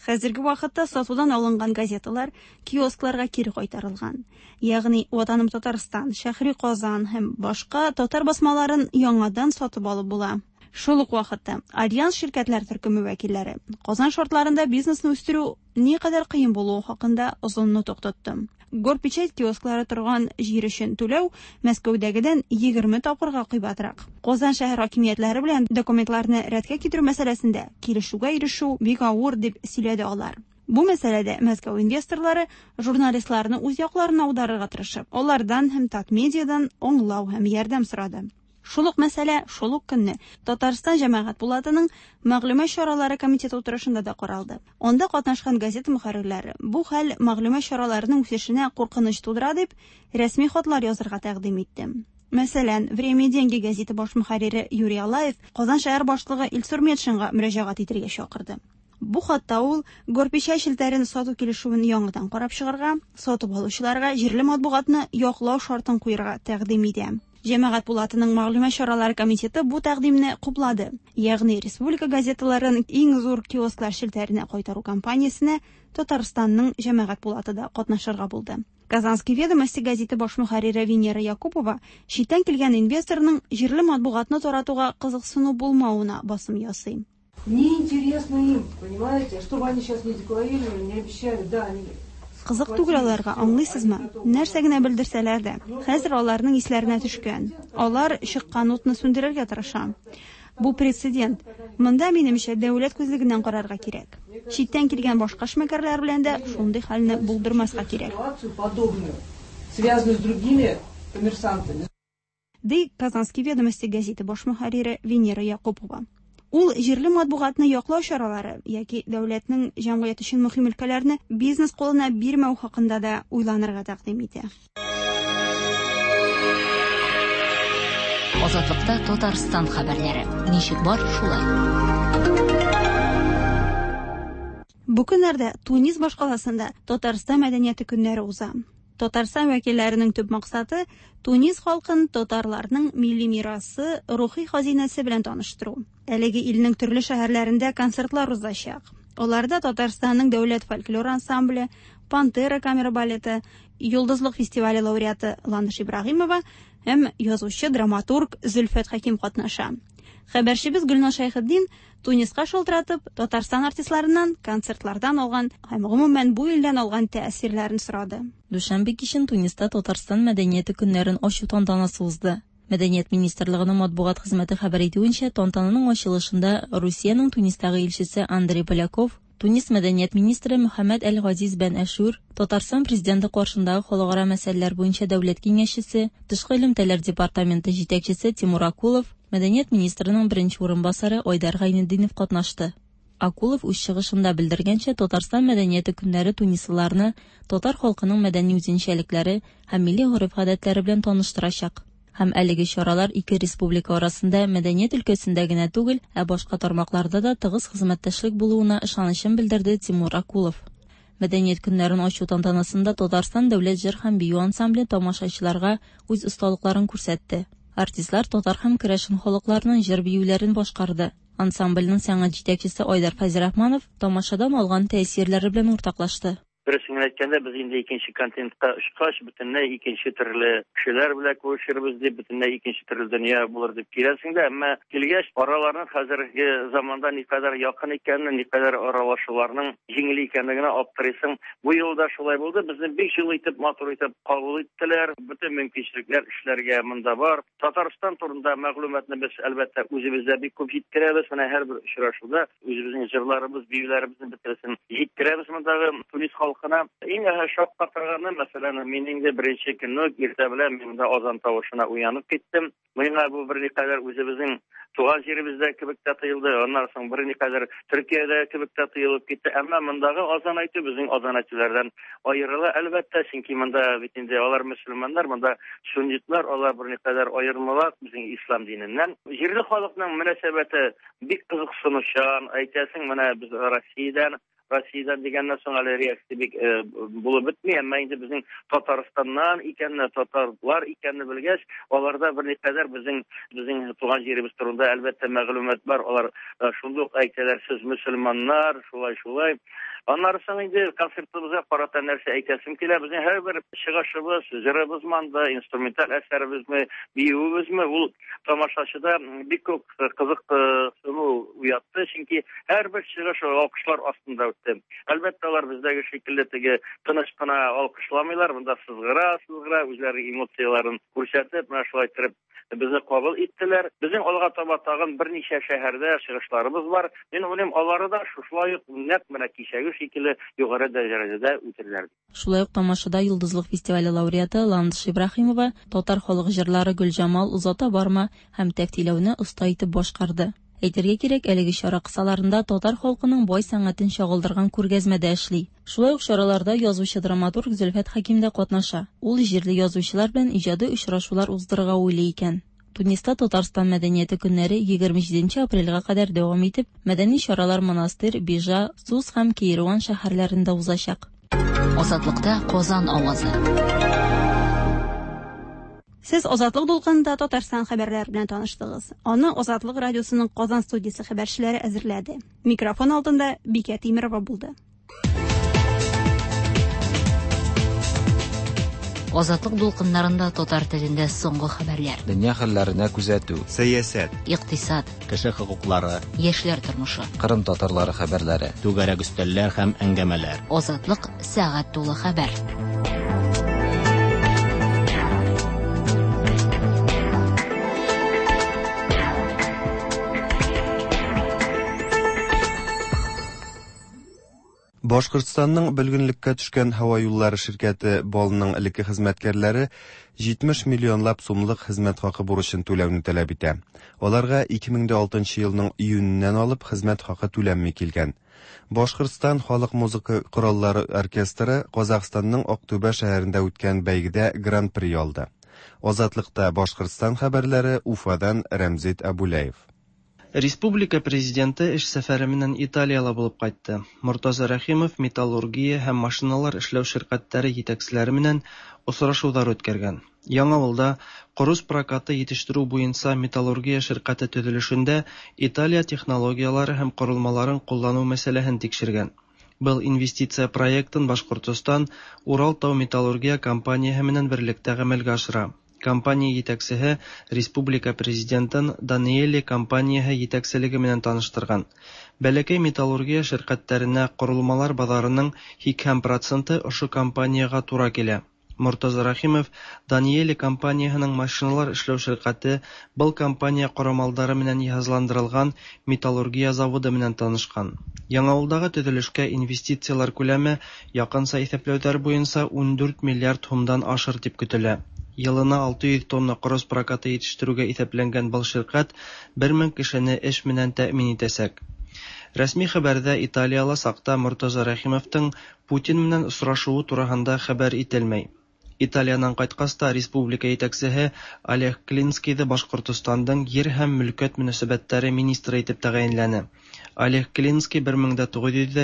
Хәзерге вакытта сатудан алынган газеталар киоскларга кире кайтарылган. Ягъни Ватаным Татарстан, Шәһри Казан һәм башка татар басмаларын яңадан сатып алып була. Шул ук вакытта Альянс ширкәтләр төркеме вәкилләре Казан шартларында бизнесны үстерү никадәр кыен булуы хакында озын нотык тотты. Горпечать киосклары торган җир өчен түләү Мәскәүдәгедән егерме тапкырга кыйбатрак. Казан шәһәр хакимиятләре белән документларны рәткә китерү мәсьәләсендә килешүгә ирешү бик авыр дип сөйләде алар. Бу мәсьәләдә Мәскәү инвесторлары журналистларны үз якларына аударырга тырышып, алардан һәм Татмедиадан аңлау һәм ярдәм сорады. Шул ук мәсьәлә шул ук көнне Татарстан җәмәгать пулатының мәгълүмат чаралары комитеты утырышында да каралды. Анда катнашкан газета мөхәррирләре бу хәл мәгълүмат чараларының үсешенә куркыныч тудыра дип рәсми хатлар язырга тәкъдим итте. Мәсәлән, Время и деньги газеты баш мөхәррире Юрий Алаев Казан шәһәр башлыгы Илсур Метшинга мөрәҗәгать итәргә чакырды. Бу хатта ул Горпечать челтәрен сату килешүен яңадан карап чыгарга, сатып алучыларга җирле матбугатны яклау шартын куярга тәкъдим итә. Җәмәгать пулатының мәгълүмат чаралары комитеты бу тәкъдимне хуплады. Ягъни республика газеталарын иң зур киосклар челтәренә кайтару кампаниясенә Татарстанның җәмәгать пулаты да катнашырга булды. Казанские ведомости газеты баш мөхәррире Венера Якупова читтән килгән инвесторның җирле матбугатны таратуга кызыксыну булмавына басым ясый. Неинтересно им, понимаете, что бы они сейчас не декларировали, не обещали, да, они Кызык түгел аларга, аңлыйсызмы? Нәрсә генә белдерсәләр дә, хәзер аларның исләренә төшкән. Алар чыккан утны сүндерергә тырыша. Бу прецедент. Монда, минемчә, дәүләт күзлегеннән карарга кирәк. Читтән килгән башка эшмәкәрләр белән дә шундый хәлне булдырмаска кирәк. ситуацию подобную, связанную с другими коммерсантами. Ди Казанские ведомости газеты баш мөхәррире Венера Якупова. Ул җирле матбугатны яклау чаралары яки дәүләтнең җәмгыять өчен мөһим өлкәләрне бизнес кулына бирмәү хакында да уйланырга тәкъдим итә. Азатлыкта Татарстан хәбәрләре. Ничек бар, шулай. Бу көннәрдә Тунис башкаласында Татарстан мәдәнияте көннәре уза. Татарстан вәкилләренең төп максаты Тунис халкын татарларның милли мирасы, рухи хазинәсе белән таныштыру. Әлеге илнең төрле шәһәрләрендә концертлар узачак. Аларда Татарстанның дәүләт фольклор ансамбле, Пантера камера балеты, Йолдызлык фестивале лауреаты Ландыш Ибраһимова һәм язучы драматург Зөлфәт Хәким катнаша. Хәбәрчебез Гөлназ Шәйхетдин Туниска шалтыратып, Татарстан артистларыннан концертлардан алган һәм гомумән бу илдән алган тәэсирләрен сорады. Дүшәмбе кичен Туниста Татарстан мәдәнияте көннәрен ачу тантанасы узды. Мәдәният министрлыгының матбугат хезмәте хәбәр итүенчә, тантананың ачылышында Русиянең Тунистагы илчесе Андрей Поляков, Тунис мәдәният министры Мөхәммәд Әл-Газиз бән Әшүр, Татарстан президенты каршындагы халыкара мәсьәләләр буенча дәүләт киңәшчесе, тышкы элемтәләр департаменты җитәкчесе Тимур Акулов, мәдәният министрының беренче урынбасары Айдар Гайнетдинов катнашты. Акулов үз чыгышында белдергәнчә, Татарстан мәдәнияте көннәре тунислыларны татар халкының мәдәни үзенчәлекләре һәм милли гореф-гадәтләре белән таныштырачак. Һәм әлеге чаралар ике республика арасында мәдәният өлкәсендә генә түгел, ә башка тармакларда да тыгыз хезмәттәшлек булуына ышанычын белдерде Тимур Акулов. Мәдәният көннәрен ачу тантанасында Татарстан дәүләт җыр һәм бию ансамбле тамашачыларга үз осталыкларын күрсәтте. Артистлар татар һәм керәшен халыкларының җыр биюләрен башкарды. Ансамбльнең сәнгать җитәкчесе Айдар Фәйзрахманов тамашадан алган тәэсирләре белән уртаклашты. Дөресен әйткәндә, без инде икенче континентка очкач, бөтенләй икенче төрле кешеләр белән күрешербез дип, бөтенләй икенче төрле дөнья булыр дип киләсең дә, әмма килгәч, араларның хәзерге заманда никадәр якын икәнен, никадәр аралашуларның җиңел икәнлегенә аптырыйсың. Бу елда шулай булды. Безне бик җылы итеп, матур итеп кабул иттеләр. Бөтен мөмкинчелекләр эшләргә монда бар. Татарстан турында мәгълүматны без әлбәттә үзебездә бик күп җиткерәбез. Менә һәрбер очрашуда үзебезнең җырларыбыз, биюләребезне бөтенесен җиткерәбез мондагы Тунис халкына. Иң шаккатырганы, мәсәлән, мин инде беренче көнне иртә белән мин монда азан тавышына уянып киттем. Миңа бу берникадәр үзебезнең туган җиребездә кебек тә тоелды. Аннан соң берникадәр Төркиядә кебек тә тоелып китте. Әмма мондагы азан әйтү безнең азан әйтүләрдән аерыла, әлбәттә, чөнки монда бит инде алар мөселманнар, монда суннитлар, алар берникадәр аермалак безнең ислам диненнән. Җирле халыкның мөнәсәбәте бик кызыксынучан, әйтәсең, менә без Россиядән, Россиядән дигәннән соң әле реакция бик булып бетми, әмма инде безнең Татарстаннан икәнне, татарлар икәнне белгәч, аларда берникадәр безнең безнең туган җиребез турында әлбәттә мәгълүмат бар. Алар шундый ук әйтәләр, сез мөселманнар, шулай шулай. Аннары соң инде концертыбызга карата нәрсә әйтәсем килә. Безнең һәрбер чыгышыбыз, җырыбыз монда, инструменталь әсәребезме, биюебезме, ул тамашачыда бик күп кызыксыну уятты, чөнки һәрбер чыгыш алкышлар астында үтте. Әлбәттә, алар бездәге шикелле теге тыныч кына алкышламыйлар, монда сызгыра, сызгыра, үзләренең эмоцияләрен күрсәтеп, менә шулай итеп безне кабул иттеләр. Безнең алга таба тагын берничә шәһәрдә чыгышларыбыз бар. Мин уйлыйм, алары да шушылай ук нәкъ менә кичәге шикелле югары дәрәҗәдә үтерләр. Шулай ук тамашада Йолдызлык фестивале лауреаты Ландыш Ибраһимова татар халык җырлары Гөлҗамал, Озата барма һәм Тәфтиләүне оста итеп башкарды. Әйтергә кирәк, әлеге чара кысаларында татар халкының бай сәнгатен чагылдырган күргәзмә дә эшли. Шулай ук чараларда язучы драматург Зөлфәт Хәким дә катнаша. Ул җирле язучылар белән иҗади очрашулар уздырырга уйлый икән. Туниста Татарстан мәдәнияте көннәре егерме җиденче апрельгә кадәр дәвам итеп, мәдәни чаралар Монастырь, Бижа, Сус һәм Кейруан шәһәрләрендә узачак. Азатлыкта Казан авазы. Сез Азатлык дулкынында Татарстан хәбәрләре белән таныштыгыз. Аны Азатлык радиосының Казан студиясе хәбәрчеләре әзерләде. Микрофон алдында Бикә Тимирова булды. Азатлык дулкыннарында татар телендә соңгы хәбәрләр. Дөнья хәлләренә күзәтү. Сәясәт. Икътисад. Кеше хокуклары. Яшьләр тормышы. Кырым татарлары хәбәрләре. Түгәрәк өстәлләр һәм әңгәмәләр. Азатлык сәгать тулы хәбәр. Башкортстанның бөлгенлеккә төшкән һава юллары ширкәте БАЛның элекке хезмәткәрләре җитмеш миллионлап сумлык хезмәт хакы бурычын түләүне таләп итә. Аларга ике мең дә алтынчы елның июненнән алып хезмәт хакы түләнми килгән. Башкортстан халык музыка кораллары оркестры Казахстанның Актүбә шәһәрендә үткән бәйгедә гран-при алды. Азатлыкта Башкортстан хәбәрләре Уфадан Рәмзит Абулаев. Республика президенты эш сәфәре менән Италияла булып кайтты. Мортаза Рәхимов металлургия һәм машиналар эшләү ширкәтләре җитәкчеләре менән очрашулар үткәргән. Яңавылда корус прокаты җитештерү буенча металлургия ширкәте төзелешендә Италия технологияләре һәм корылмаларын куллану мәсьәләһен тикшергән. Был инвестиция проектын Башкортостан Урал тау металлургия компанияһы менән берлектә гамәлгә ашыра. Компания җитәкчеһе республика президентын Даниэли компанияһы җитәкчелеге менән таныштырган. Бәләкәй металлургия ширкәтләренә корылмалар базарының һикһән проценты ошо компанияга тура килә. Мортаза Рәхимов Даниэли компанияһының машиналар эшләү ширкәте был компания корамалдары менән йыһазландырылган металлургия заводы менән танышкан. Яңавылдагы төзелешкә инвестицияләр күләме якынча иҫәпләүҙәр буйынса ун дүрт миллиард һумдан ашыр дип көтөлә. Йылына алты йөҙ тонна корос прокаты етештереүгә иҫәпләнгән был ширкәт бер мең кешене эш менән тәьмин итәсәк. Рәсми хәбәрҙә Италияла саҡта Мортаза Рәхимовтың Путин менән осрашыуы тураһында хәбәр ителмәй. Италиянан ҡайтҡас та республика етәксеһе Олег Клинскийҙы Башҡортостандың ер һәм мөлкәт мөнәсәбәттәре министры итеп тәғәйенләне. Олег Клинский бер мең дә туғыҙ йөҙ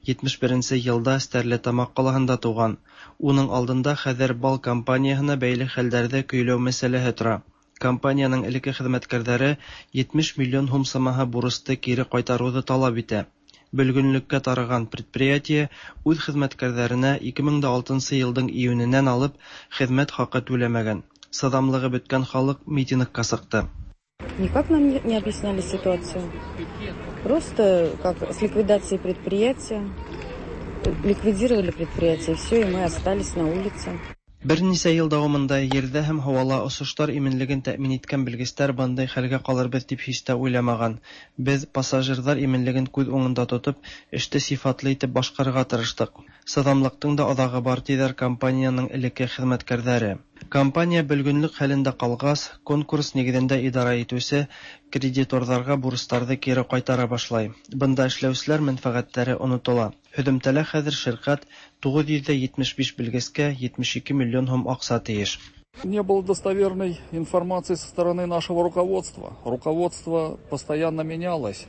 етмеш беренсе йылда Стәрлетамаҡ ҡалаһында тыуған. Уның алдында хәҙер БАЛ компанияһына бәйле хәлдәрҙе көйләү мәсьәләһе тора. Компанияның элекке хеҙмәткәрҙәре етмеш миллион һум самаһы бурысты кире ҡайтарыуҙы талап итә. Бөлгөнлөккә тарыған предприятие үҙ хеҙмәткәрҙәренә ике мең дә алтынсы йылдың июненән алып хеҙмәт хаҡы түләмәгән. Сыҙамлығы бөткән халыҡ митингка сыҡты. Никак нам не объясняли ситуацию. Просто как с ликвидацией предприятия, ликвидировали предприятие, все, и мы остались на улице. Бер нисә йыл дауамында ерҙә һәм һауала осоштар именлеген тәьмин иткән белгестәр бындай хәлгә ҡалырбыҙ тип һис тә уйламаған. Беҙ пассажирҙар именлеген күҙ уңында тотоп, эште сифатлы итеп башҡарырға тырыштыҡ. Сыҙамлыҡтың да аҙағы бар, тиҙәр компанияның элекке хеҙмәткәрҙәре. Компания бөлгөнлөк хәлендә ҡалғас, конкурс нигеҙендә идара итеүсе кредиторҙарға бурыстарҙы кире ҡайтара башлай. Бында эшләүселәр мәнфәғәттәре онотола. Һөҙөмтәлә хәҙер ширкәт туғыҙ йөҙ етмеш биш белгескә етмеш ике миллион һум аҡса тейеш. Не было достоверной информации со стороны нашего руководства. Руководство постоянно менялось.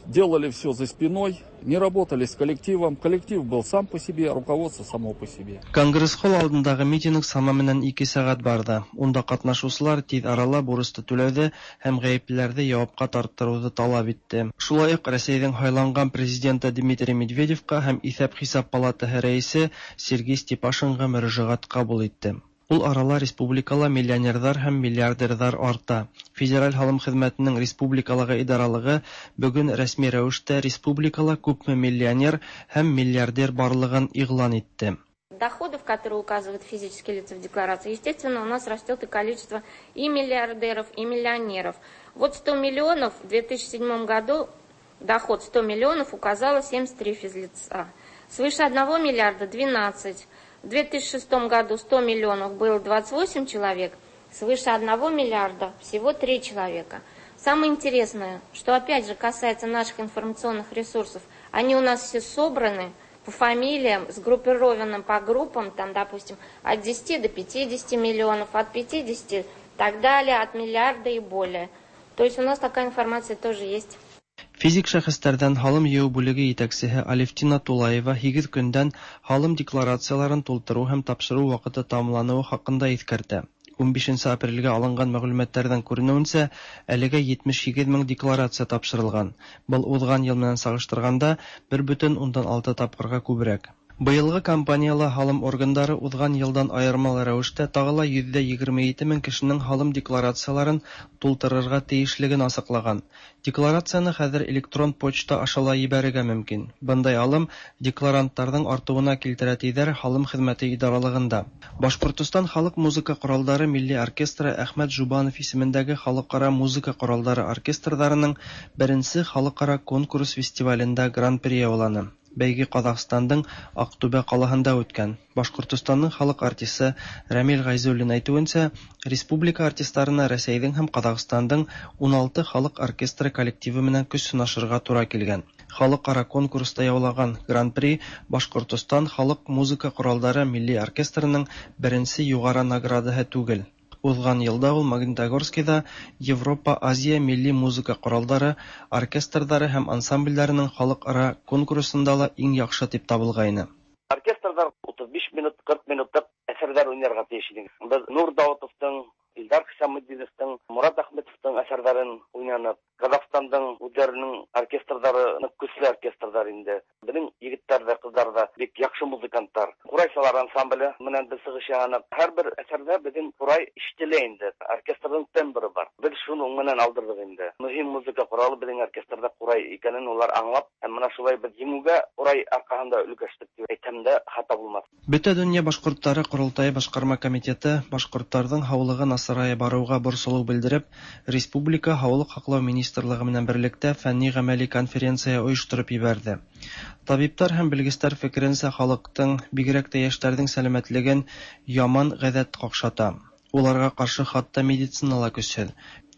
Делали все за спиной, не работали с коллективом. Коллектив был сам по себе, руководство само по себе. Конгресс-холл алдындағы митинг сама менән ике сәғәт барҙы. Унда ҡатнашыусылар тиҙ арала бурысты түләүҙе һәм ғәйеплеләрҙе яуапҡа тарттырыуҙы талап итте. Шулай уҡ Рәсәйҙең һайланған президенты Дмитрий Медведевҡа һәм Иҫәп-хисап палатаһы рәйесе Сергей Степашинға мөрәжәғәт ҡабул итте. Ул арала республикала миллионерҙар һәм миллиардерҙар арта. Федераль һалым хеҙмәтенең республикалағы идаралығы бөгөн рәсми рәүештә республикала күпме миллионер һәм миллиардер барлығын иғлан итте. Доходов, которые указывают физические лица в декларации, естественно, у нас растет и количество и миллиардеров, и миллионеров. Вот сто миллионов в две тысячи седьмом году доход сто миллионов указало семьдесят три физлица. Свыше одного миллиарда двенадцать. В две тысячи шестом году сто миллионов было двадцать восемь человек, свыше одного миллиарда всего три человека. Самое интересное, что опять же касается наших информационных ресурсов, они у нас все собраны по фамилиям, сгруппированы по группам, там, допустим, от десяти до пятидесяти миллионов, от пятидесяти и так далее, от миллиарда и более. То есть у нас такая информация тоже есть. Физик шәхестәрҙән һалым йыйыу бүлеге етәксеһе Алевтина Тулаева һигеҙ көндән һалым декларацияларын тултырыу һәм тапшырыу ваҡыты тамамланыуы хаҡында иҫкәртә. ун бишенсе апрелгә алынған мәғлүмәттәрҙән күренеүенсә, әлегә етмеш һигеҙ мең декларация тапшырылған. Был уҙған йыл менән сағыштырғанда бер бөтөн ундан алты тапҡырға күберәк. Быелгы кампанияла һалым органдары узган елдан аермалы рәвештә тагы ла йөз егерме ете мең кешенең һалым декларацияларын тултырырга тиешлеген асыклаган. Декларацияне хәзер электрон почта аша ла ебәрергә мөмкин. Бындай алым декларанттарның артыуына килтерә, тиҙәр һалым хеҙмәте идаралығында. Башҡортостан халыҡ музыка ҡоралдары милли оркестры Әхмәт Жубанов исемендәге халыҡ-ара музыка ҡоралдары оркестрҙарының беренсе халыҡ-ара конкурс фестивалендә гран-при яуланы. Бәйге Ҡаҙағстандың Аҡтүбә ҡалаһында үткән. Башҡортостандың халыҡ артисы Рәмил Ғәйзуллин әйтеүенсә, республика артистарына Рәсәйҙең һәм Ҡаҙағстандың ун алты халыҡ оркестры коллективы менән көс һынашырға тура килгән. Халыҡ-ара конкурста яулаған гран-при Башҡортостан халыҡ музыка ҡоралдары милли оркестрының беренсе юғары наградаһы түгел. Уҙған йылда ул Магнитогорскиҙа Европа-Азия милли музыка ҡоралдары, оркестрҙары һәм ансамблдәренең халыҡ-ара конкурсында ла иң яҡшы тип табылғайны. Оркестрҙар утыҙ биш минут, ҡырҡ минутлыҡ әҫәрҙәр уйнарға тейеш ине. Беҙ Нур Даутовтың, Илдар Хисамутдиновтың, Мурат Әхмәтовтың әҫәрҙәрен уйнаныҡ. Ҡаҙағстандың үҙҙәренең оркестрҙары ныҡ көслө оркестрҙар инде. Беҙҙең егеттәр ҙә, ҡыҙҙар ҙа бик яҡшы музыканттар. Ҡурайсылар ансамбле менән беҙ сығыш яһаныҡ. Һәр бер әҫәрҙә беҙҙең ҡурай ишетелә инде. Оркестрҙың тембры бар. Беҙ шуның менән алдырҙыҡ инде. Мөһим музыка ҡоралы беҙҙең оркестрҙа ҡурай икәнен улар аңлап, һәм мына шулай беҙ еңеүгә ҡурай арҡаһында өлгәштек тип әйтһәм дә хата булмаҫ. Бөтә донъя башҡорттары ҡоролтайы башҡарма комитеты башҡорттарҙың һаулығы насарая барыуға борсолоу белдереп, республика һаулыҡ һаҡлау министрлығы менән берлектә фәнни-ғәмәли конференция ойоштороп ебәрҙе. Табиптар һәм белгестәр фекеренсә, халыҡтың, бигерәк тә йәштәрҙең сәләмәтлеген яман ғәҙәт ҡаҡшата. Уларға ҡаршы хатта медицина ла көсһөҙ.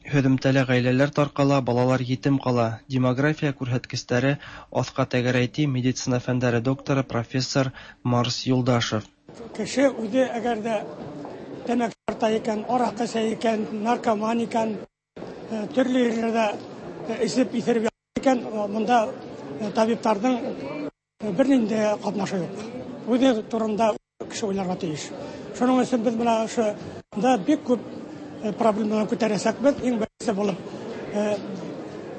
Һөҙөмтәлә ғаиләләр тарҡала, балалар етем ҡала. Демография күрһәткестәре аҫҡа тәгәрәй, ти медицина фәндәре докторы профессор Марс Юлдашев. Кеше үҙе әгәр ҙә тәмәке тарта икән, араҡы эсә икән, наркоман икән, төрлө ерҙәрҙә эсеп иҫереп икән, бында табиптарҙың бер ниндәй ҡатнашы юҡ. Үҙе турында кеше уйларға тейеш. Шуның өсөн беҙ бына ошонда бик күп проблемалар күтәрәсәкбеҙ. Иң беренсе булып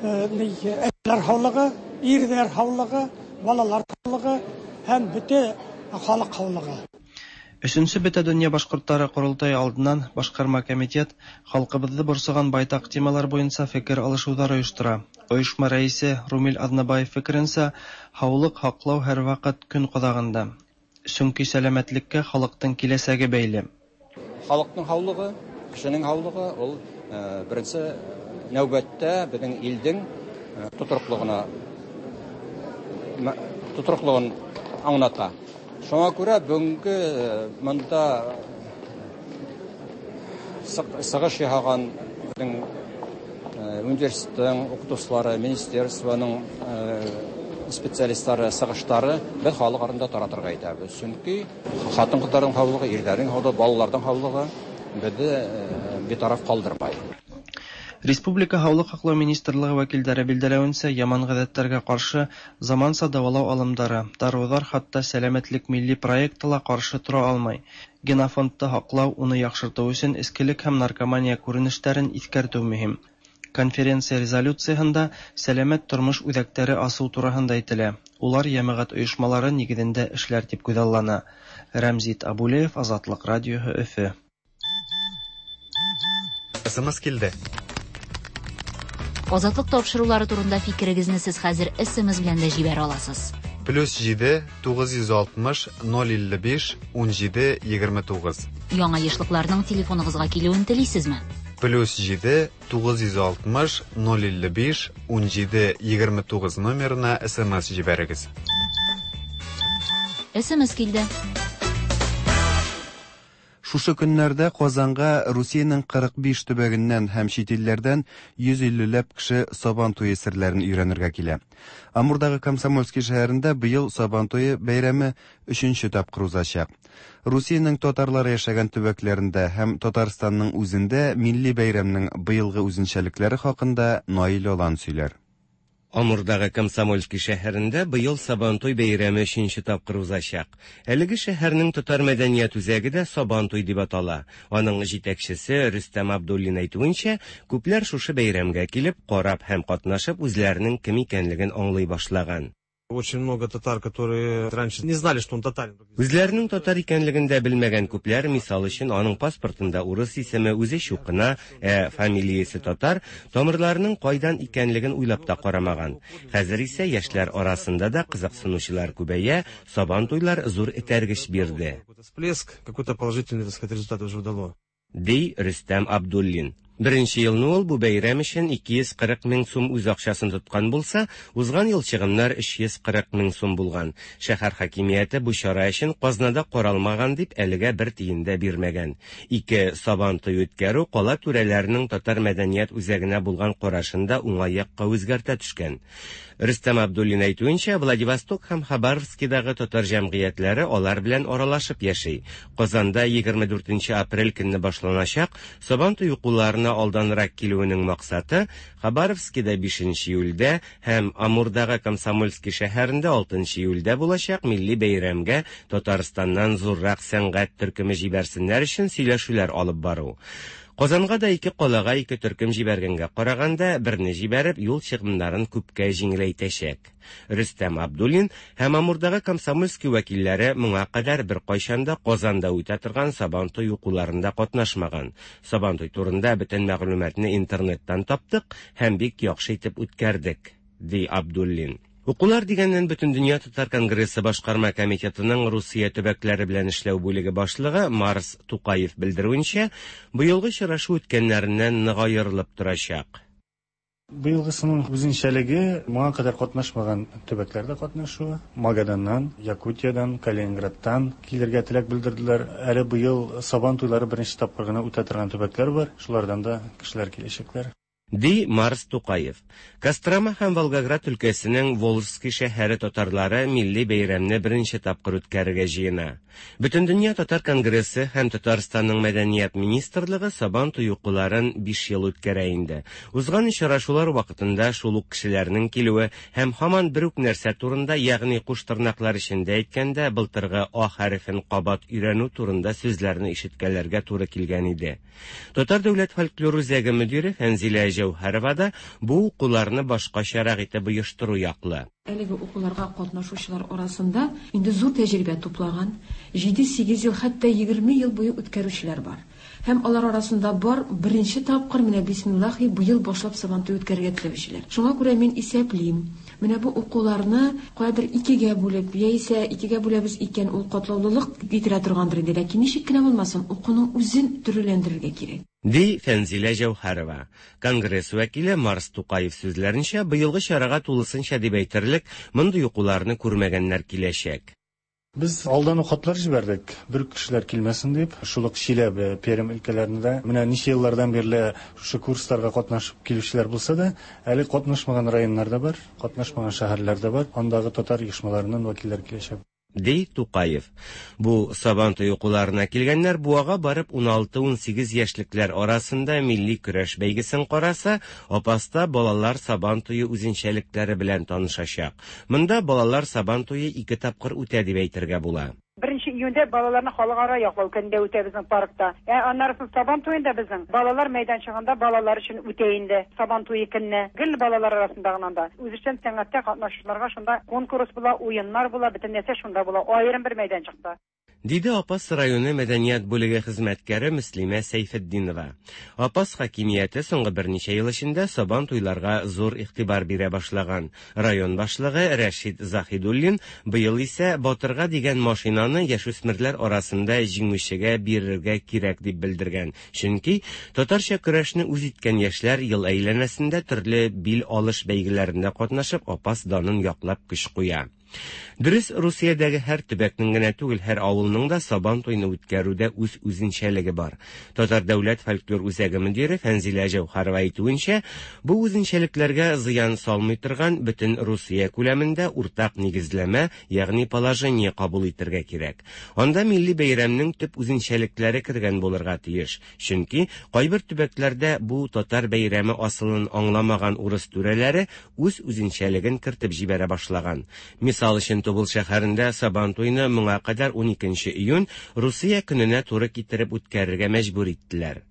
әсәләр һаулығы, ирҙәр һаулығы, балалар һаулығы һәм бөтә халыҡ һаулығы. Өсөнсө Бөтә донъя башҡорттары ҡоролтайы алдынан башҡарма комитет халҡыбыҙҙы борсоған байтаҡ темалар буйынса фекер алышыуҙар ойоштора. Ойошма рәйесе Румил Аҙнабаев фекеренсә, һаулыҡ һаҡлау һәр ваҡыт көн ҡаҙағында. Сөнки сәләмәтлеккә халыҡтың киләсәге бәйле. Халыҡтың һаулығы, кешенең һаулығы ул беренсе нәүбәттә беҙҙең илдең тотороҡлоғона тотороҡлоғон аңлата. Шуңа күрә бөгөнгө мында сығыш яһаған беҙҙең университеттың уҡытыусылары, министерствоның специалисттары сығыштары беҙ халыҡ араһында таратырға итәбеҙ. Сөнки ҡатын-ҡыҙҙарҙың һаулығы, ирҙәрҙең һаулығы, балаларҙың һаулығы беҙҙе битараф ҡалдырмай. Республика һаулыҡ һаҡлау министрлығы вәкилдәре билдәләүенсә, яман ғәҙәттәргә ҡаршы заманса дауалау алымдары, дарыуҙар хатта сәләмәтлек милли проекты ла ҡаршы тора алмай. Генофондты һаҡлау, уны яҡшыртыу өсөн эскелек һәм наркомания күренештәрен иҫкәртеү мөһим. Конференция резолюцияһында сәләмәт тормош үҙәктәре асыу тураһында әйтелә. Улар йәмәғәт ойошмалары нигеҙендә эшләр тип күҙаллана. Рәмзит Абулеев, Азатлыҡ радиоһы, Өфө. СМС килде. Азатлыҡ тапшырыулары турында фикерегеҙҙе һеҙ хәҙер СМС белән дә ебәрә аласыз. Плюс ете, туғыҙ йөҙ алтмыш, ноль илле биш, ун ете, егерме туғыҙ. Яңа йышлыҡларҙың телефонығыҙға килеүен теләйһегеҙме? Плюс ете, туғыҙ йөҙ алтмыш, ноль илле биш, ун ете, егерме туғыҙ номерына СМС ебәрегеҙ. СМС килде. Шушы көннәрдә Казанга Русиянең ҡырыҡ биш төбәгеннән һәм чит илләрҙән йөҙ иллеләп кеше Сабан туйы серләрен өйрәнергә килә. Амурдагы Комсомольский шәһәрендә быел Сабан туйы бәйрәме өченче тапкыр узачак. Русиянең татарлары яшәгән төбәкләрендә һәм Татарстанның үзендә милли бәйрәмнең быелгы үзенчәлекләре хакында Наил Алан сөйләр. Амурдагы Комсомольский шәһәрендә быел Сабантуй бәйрәме өченче тапкыр узачак. Әлеге шәһәрнең татар мәдәният үзәге дә Сабантуй дип атала. Аның җитәкчесе Рөстәм Абдуллин әйтүенчә, күпләр шушы бәйрәмгә килеп, карап һәм катнашып үзләренең кем икәнлеген аңлый башлаган. Очень много татар, которые раньше не знали, что он татарин. Үзләренең татар икәнлеген дә белмәгән күпләр, мисал өчен, аның паспортында урыс исеме, үзе чукына, ә фамилиясе татар, тамырларының кайдан икәнлеген уйлап та карамаган. Хәзер исә яшьләр арасында да кызыксынучылар күбәя, Сабан туйлар зур этәргеч бирде. Всплеск, какой-то положительный, так сказать, результат уже дало. Ди Рөстәм Абдуллин. Беренче елны ул бу бәйрәм өчен ике йөз кырык мең сум үз акчасын тоткан булса, узган ел чыгымнар өч йөз кырык мең сум булган. Шәһәр хакимияте бу чара өчен казнада каралмаган дип әлегә бер тиен дә бирмәгән. Ике Сабан туй үткәрү кала түрәләренең татар мәдәният үзәгенә булган карашын да уңай якка үзгәртә төшкән. Рөстәм Абдуллин әйтүенчә, Владивосток һәм Хабаровскидагы татар җәмгыятьләре алар белән аралашып яши. Казанда егерме дүртенче апрель көнне башланачак Сабан туй укуларына алданрак килүенең максаты Хабаровскида бишенче июльдә һәм Амурдагы Комсомольский шәһәрендә алтынчы июльдә булачак милли бәйрәмгә Татарстаннан зуррак сәнгать төркеме җибәрсеннәр өчен сөйләшүләр алып бару. Казанга да ике калага ике төркем җибәргәнгә караганда берне җибәреп юл чыгымнарын күпкә җиңеләйтәчәк. Рөстәм Абдуллин һәм Амурдагы Комсомольский вәкилләре моңа кадәр бер кайчан да Казанда үтә торган Сабан туй укуларында катнашмаган. Сабан туй турында бөтен мәгълүматны интернеттан таптык һәм бик яхшы итеп үткәрдек, ди Абдуллин. Укулар дигәннән Бөтендөнья татар конгрессы башкарма комитетының Русия төбәкләре белән эшләү бүлеге башлыгы Марс Тукаев белдерүенчә, быелгы очрашу үткәннәреннән нык аерылып торачак. Быелгысының үзенчәлеге моңа кадәр катнашмаган төбәкләрдә катнашуы. Магаданнан, Якутиядан, Калининградтан килергә теләк белдерделәр. Әле быел Сабан туйлары беренче тапкыр гына үтә торган төбәкләр бар. Шулардан да кешеләр киләчәкләр. Ди Марс Тукаев. Кострома һәм Волгоград өлкәсенең Волжский шәһәре татарлары милли бәйрәмне беренче тапкыр үткәрергә җыена. Бөтендөнья татар конгрессы һәм Татарстанның мәдәният министрлыгы Сабан туй укуларын биш ел үткәрә инде. Узган очрашулар вакытында шул ук кешеләрнең килүе һәм һаман бер үк нәрсә турында, ягъни куш тырнаклар эчендә әйткәндә, былтыргы А хәрефен кабат өйрәнү турында сүзләрне ишеткәләргә туры килгән иде. Татар дәүләт фольклор үзәге мөдире Фәнзилә Җәүһәрова да бу укуларны башкачарак итеп оештыру яклы. Әлеге укуларга катнашучылар арасында инде зур тәҗрибә туплаган, җиде-сигез ел, хәтта егерме ел буе үткәрүчеләр бар. Һәм алар арасында бар беренче тапкыр менә бисмиллахи быел башлап Сабан туй үткәрергә теләүчеләр. Шуңа күрә мин исәплим, менә бу укуларны каядыр икегә бүлеп, яисә икегә бүләбез икән, ул катлаулылык китерә торгандыр инде, ләкин ничек кенә булмасын, укуның үзен төрлеләндерергә кирәк. Ди Фәнзилә Җәүһәрова. Конгресс вәкиле Марс Тукаев сүзләренчә, быелгы чарага тулысынча дип әйтерлек мондый укуларны күрмәгәннәр киләчәк. Без алдан ук хатлар җибәрдек, бер кешеләр килмәсен дип, шул ук Чиләбе, Пермь өлкәләрендә менә ничә еллардан бирле шушы курсларга катнашып килүчеләр булса да, әле катнашмаган районнар да бар, катнашмаган шәһәрләр дә бар, андагы татар оешмаларыннан вәкилләр киләчәк. Ди Тукаев. Бу Сабан туй укуларына килгәннәр Буага барып ун алты-ун сигез яшьлекләр арасында милли көрәш бәйгесен караса, Апаста балалар Сабан туе үзенчәлекләре белән танышачак. Монда балалар Сабан туе ике тапкыр үтә дип әйтергә була. Беренче июньдә балаларны халыкара яклау көнендә үтә безнең паркта. Ә аннары Сабан туенда безнең балалар мәйданчыгында балалар өчен үтә инде Сабан туе көнне. Гел балалар арасында гына да. Үзешчән сәнгатьтә катнашучыларга шунда конкурс була, уеннар була, бөтен нәрсә шунда була, аерым бер мәйданчыкта. Диде Апас районы мәдәният бүлеге хезмәткәре Мөслимә Сәйфетдинова. Апас хакимияте соңгы берничә ел эчендә Сабан туйларга зур игътибар бирә башлаган. Район башлыгы Рәшид Заһидуллин быел исә Батырга дигән машинаны яшүсмерләр арасында җиңүчегә бирергә кирәк дип белдергән. Чөнки татарча көрәшне үз иткән яшьләр ел әйләнәсендә төрле бил алыш бәйгеләрендә катнашып Апас данын яклап көч куя. Дөрес, Русиядәге һәр төбәкнең генә түгел, һәр авылның да Сабан туйны үткәрүдә үз үзенчәлеге бар. Татар дәүләт фольклор үзәге мөдире Фәнзилә Җәүһәрова әйтүенчә, бу үзенчәлекләргә зыян салмый торган бөтен Русия күләмендә уртак нигезләмә, ягъни положение кабул итәргә кирәк. Анда милли бәйрәмнең төп үзенчәлекләре кергән булырга тиеш. Чөнки кайбер төбәкләрдә бу татар бәйрәме асылын аңламаган урыс түрәләре үз үзенчәлеген кертеп җибәрә башлаган. Мисал өчен, Тубыл шәһәрендә Сабантуйны моңа кадәр уникенче июнь Русия көненә туры китереп үткәрергә мәҗбүр иттеләр.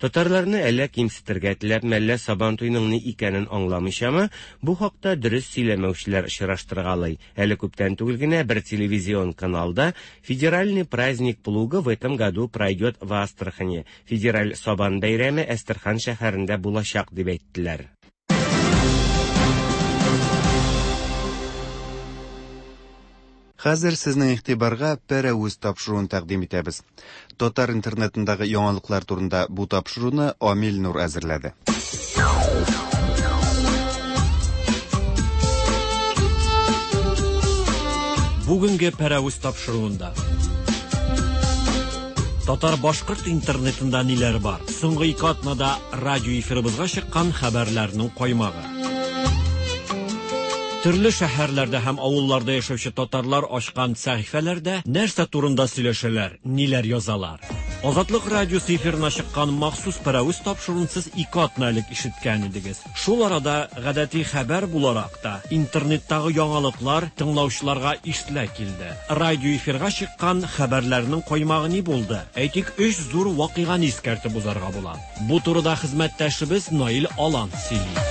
Татарларны әллә кимсетергә теләп, мәллә Сабантуйның ни икәнен аңламыйчамы, бу хакта дөрес сөйләмәүчеләр очраштыргалый. Әле күптән түгел генә бер телевизион каналда «Федеральный праздник плуга в этом году пройдет в Астрахани». Федераль Сабан бәйрәме Әстерхан шәһәрендә булачак дип әйттеләр. Хәзер сезнең игътибарга Пәрәвез тапшыруын тәкъдим итәбез. Татар интернетындагы яңалыклар турында бу тапшыруны Амил Нур әзерләде. Бүгенге Пәрәвез тапшыруында татар-башкорт интернетында ниләр бар? Соңгы ике атнада радио эфирыбызга чыккан хәбәрләрнең каймагы. Төрле шәһәрләрдә һәм авылларда яшәүче татарлар ачкан сәхифәләрдә нәрсә турында сөйләшәләр, ниләр язалар? Азатлык радиосы эфирына чыккан махсус Пәрәвез тапшыруын сез ике атна элек ишеткән идегез. Шул арада гадәти хәбәр буларак та интернеттагы яңалыклар тыңлаучыларга ишетелә килде. Радио эфирга чыккан хәбәрләрнең каймагы ни булды? Әйтик, өч зур вакыйганы искәртеп узарга була. Бу турыда хезмәттәшебез Наил Алан сөйли.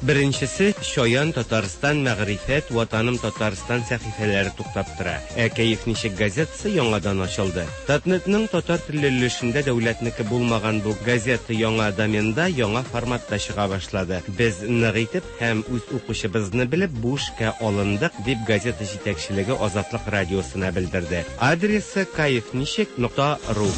Беренчесе, Чаян Татарстан, Мәгърифәт, Ватаным Татарстан сәхифәләре туктап тора. Ә Кәеф ничек газетасы яңадан ачылды. Татнетның татар телле өлешендә дәүләтнеке булмаган бу газета яңа доменда, яңа форматта чыга башлады. Без нык итеп һәм үз укучыбызны белеп бу эшкә алындык, дип газета җитәкчелеге Азатлык радиосына белдерде. Адресы каефничек нокта ру.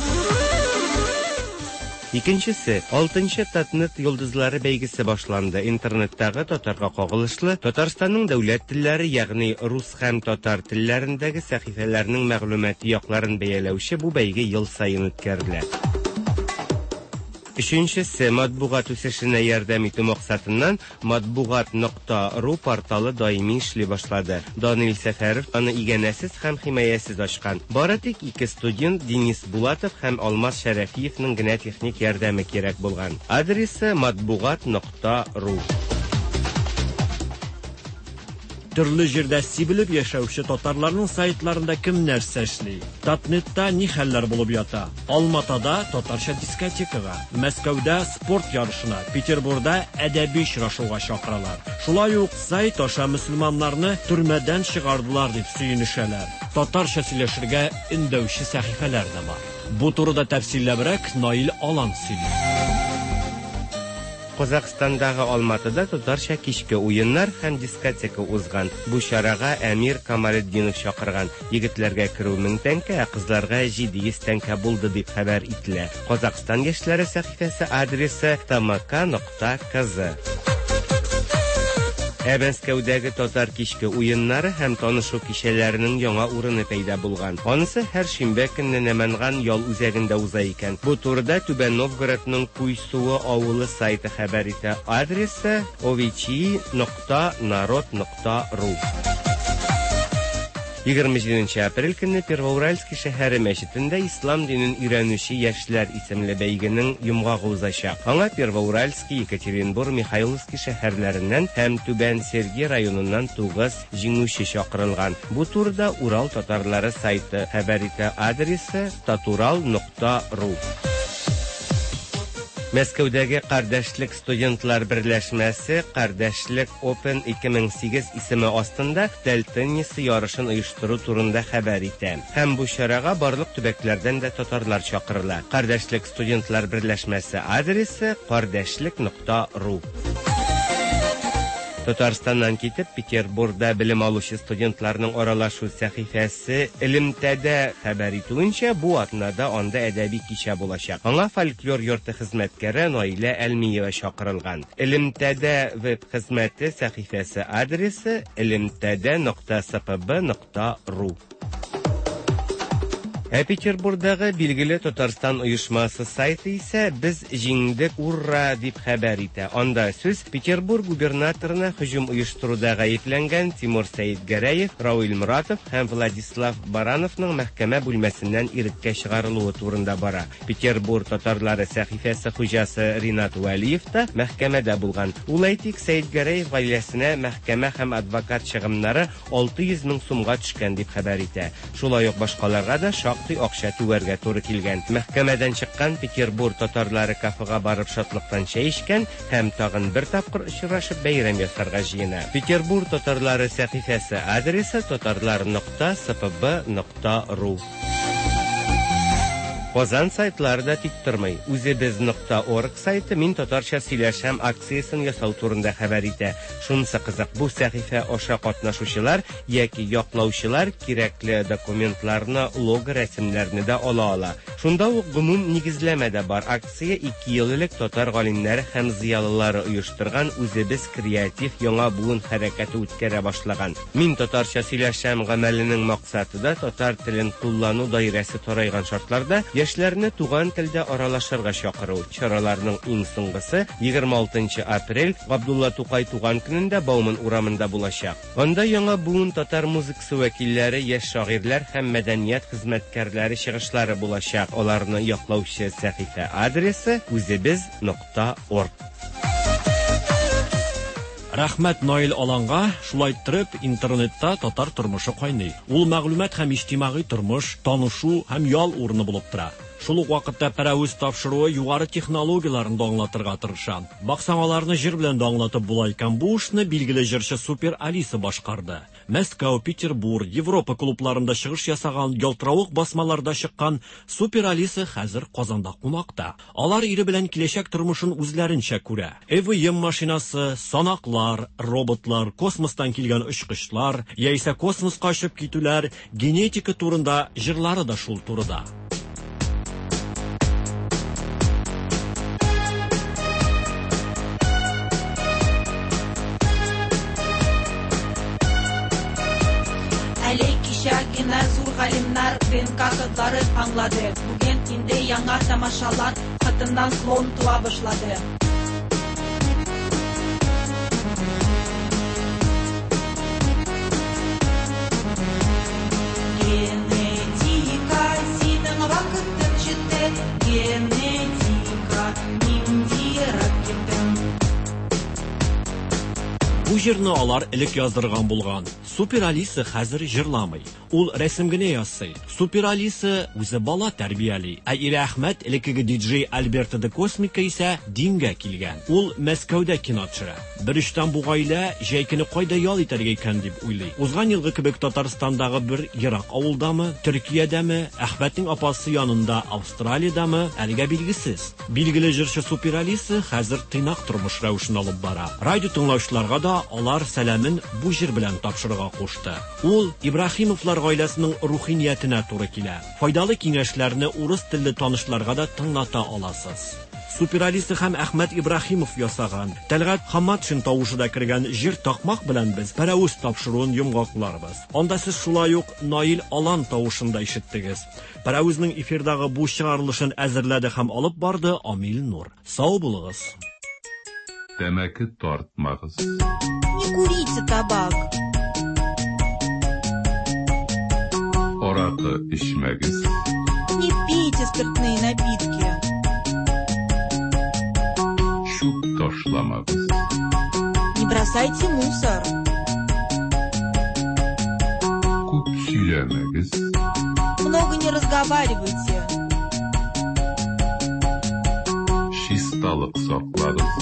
Икенчесе, алтынчы Татнет йолдызлары бәйгесе башланды. Интернеттагы татарга кагылышлы Татарстанның дәүләт телләре, ягъни рус һәм татар телләрендәге сәхифәләрнең мәгълүмати якларын бәяләүче бу бәйге ел саен үткәрелә. Өченчесе, матбугат үсешенә ярдәм итү максатыннан матбугат нокта ру порталы даими эшли башлады. Данил Сәфәров аны иганәсез һәм химаясез ачкан. Бары тик ике студент Денис Булатов һәм Алмаз Шәрәфиевның генә техник ярдәме кирәк булган. Адресы матбугат нокта ру. Төрле җирдә сибелеп яшәүче татарларның сайтларында кем нәрсә эшли? Татнетта ни хәлләр булып ята? Алматада татарча дискотекага, Мәскәүдә спорт ярышына, Петербурда әдәби очрашуга чакыралар. Шулай ук сайт аша мөселманнарны төрмәдән чыгардылар дип сөенешәләр. Татарча сөйләшергә өндәүче сәхифәләр дә бар. Бу турыда тәфсилләбрәк Наил Алан сөйли. Казахстандагы Алматыда татарча кичке уеннар һәм дискотека узган. Бу чарага Әмир Камалетдинов чакырган. Егетләргә керү мең тәңкә, ә кызларга җиде йөз тәңкә булды дип хәбәр ителә. Казахстан яшьләре сәхифәсе адресы тмк нокта кз. Ә Мәскәүдәге татар кичке уеннары һәм танышу кичәләренең яңа урыны пәйда булган. Анысы һәр шимбә көнне Нәмәнган ял үзәгендә уза икән. Бу турыда Түбән Новгородның Куйсуы авылы сайты хәбәр итә. Адресы овичи нокта народ нокта ру. егерме җиденче апрель көнне Первоуральский шәһәре мәчетендә Ислам динен өйрәнүче яшьләр исемле бәйгенең йомгагы узачак. Аңа Первоуральский, Екатеринбур, Михайловский шәһәрләреннән һәм Түбән Сергей районыннан тугыз җиңүче чакырылган. Бу турыда Урал татарлары сайты хәбәр итә. Адресы татурал нокта ру. Мәскәүдәге Кардәшлек студентлар берләшмәсе Кардәшлек Open ике мең сигез исеме астында тел теннисы ярышын оештыру турында хәбәр итә. Һәм бу чарага барлык төбәкләрдән дә татарлар чакырыла. Кардәшлек студентлар берләшмәсе адресы кардәшлек нокта ру. Татарстаннан китеп Петербургда белем алучы студентларның аралашу сәхифәсе Элемтәдә хәбәр итүенчә, бу атнада анда әдәби кичә булачак. Аңа фольклор йорты хезмәткәре Наилә Әлмиева чакырылган. Элемтәдә веб хезмәте сәхифәсе адресы элемтәдә нокта спб нокта ру. Ә Петербургдагы билгеле Татарстан оешмасы сайты исә без җиңдек, ура дип хәбәр итә. Анда сүз Петербург губернаторына һөҗүм оештыруда гаепләнгән Тимур Сәетгәрәев, Равил Моратов һәм Владислав Барановның мәхкәмә бүлмәсеннән иреккә чыгарылуы турында бара. Петербург татарлары сәхифәсе хуҗасы Ринат Вәлиев та мәхкәмәдә булган. Ул, әйтик, Сәетгәрәев гаиләсенә мәхкәмә һәм адвокат чыгымнары алты йөз мең сумга төшкән дип хәбәр итә. Шулай ук башкаларга да шактый акча түгәргә туры килгән. Мәхкәмәдән чыккан Петербург татарлары кафега барып шатлыктан чәй эчкән һәм тагын бер тапкыр очрашып бәйрәм ясарга җыена. Петербург татарлары сәхифәсе адресы татарлар нокта спб нокта ру. Казан сайтлары да тик тормый. Үзебез нокта орг сайты Мин татарча сөйләшәм акциясен ясау турында хәбәр итә. Шунысы кызык, бу сәхифә аша катнашучылар яки яклаучылар кирәкле документларны, лого рәсемнәрне дә ала ала. Шунда ук гомум нигезләмә дә бар. Акция ике ел элек татар галимнәре һәм зыялылары оештырган Үзебез креатив яңа буын хәрәкәте үткәрә башлаган. Мин татарча сөйләшәм гамәленең максаты да татар телен куллану даирәсе тарайган шартларда яшьләрне туган телдә аралашырга чакыру. Чараларның иң соңгысы егерме алтынчы апрель Габдулла Тукай туган көнендә Бауман урамында булачак. Анда яңа буын татар музыкасы вәкилләре, яшь шагыйрьләр һәм мәдәният хезмәткәрләре чыгышлары булачак. Аларны яклаучы сәхифә адресы үзебез нокта орг. Рәхмәт Наил Аланга, шулай иттереп интернетта татар тормышы кайный. Ул мәгълүмат һәм иҗтимагый тормыш, танышу һәм ял урыны булып тора. Шул ук вакытта Пәрәвез тапшыруы югары технологияләрен дә аңлатырга тырыша. Баксаң, аларны җыр белән дә аңлатып була икән. Бу эшне билгеле җырчы Супер Алиса башкарды. Мәскәү, Петербург, Европа клубларында чыгыш ясаган, ялтыравык басмаларда чыккан Супер Алиса хәзер Казанда кунакта. Алар ире белән киләчәк тормышын үзләренчә күрә. Э В М машинасы, санаклар, роботлар, космостан килгән очкычлар, яисә космоска очып китүләр, генетика турында җырлары да шул турыда. Әле кичә генә зур галимнәр Д Н К кодларын аңлады. Бүген инде яңа тамашалар, хатыннан клон туа башлады. Генетика, синең вакытың җитте. Генетика, ниндирәк киттең. Бу җырны алар элек яздырган булган. Супер Алиса хәзер җырламый. Ул рәсем генә ясый. Супер Алиса үзе бала тәрбияли. Ә ире Әхмәт, элеккеге диджей Альберто де Космика исә дингә килгән. Ул Мәскәүдә кино төшерә. Бер очтан бу гаилә җәй көне кайда ял итәргә икән дип уйлый. Узган елгы кебек Татарстандагы бер ерак авылдамы, Төркиядәме, Әхмәтнең апасы янында Австралиядәме, әлегә билгесез. Билгеле җырчы Супер Алиса хәзер тыйнак тормыш рәвешен алып бара. Радио тыңлаучыларга да алар сәламен бу җыр белән тапшырырга кушты. Ул Ибраһимовлар гаиләсенең рухи ниятенә туры килә. Файдалы киңәшләрне урыс телле танышларга да тыңлата аласыз. Супер Алиса һәм Әхмәт Ибраһимов ясаган, Тәлгать Хаматшин тавышы да кергән җыр такмак белән без Пәрәвез тапшыруын йомгакларбыз. Анда сез шулай ук Наил Алан тавышын да ишеттегез. Пәрәвезнең эфирдагы бу чыгарылышын әзерләде һәм алып барды Амил Нур. Сау булыгыз. Тәмәке тартмагыз. Не курите табак. Аракы эчмәгез. Не пейте спиртные напитки. Чүп ташламагыз. Не бросайте мусор. Күп сөйләмәгез. Много не разговаривайте. Чисталык саклагыз.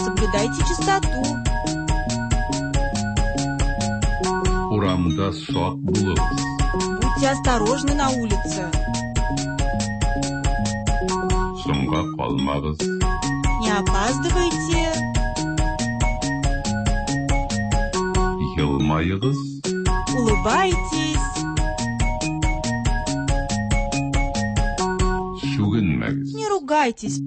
Соблюдайте чистоту. Урамда сак булыгыз. Будьте осторожны на улице. Соңга калмагыз. Не опаздывайте. Елмаегыз. Улыбайтесь. Сүгенмәгез. Не ругайтесь.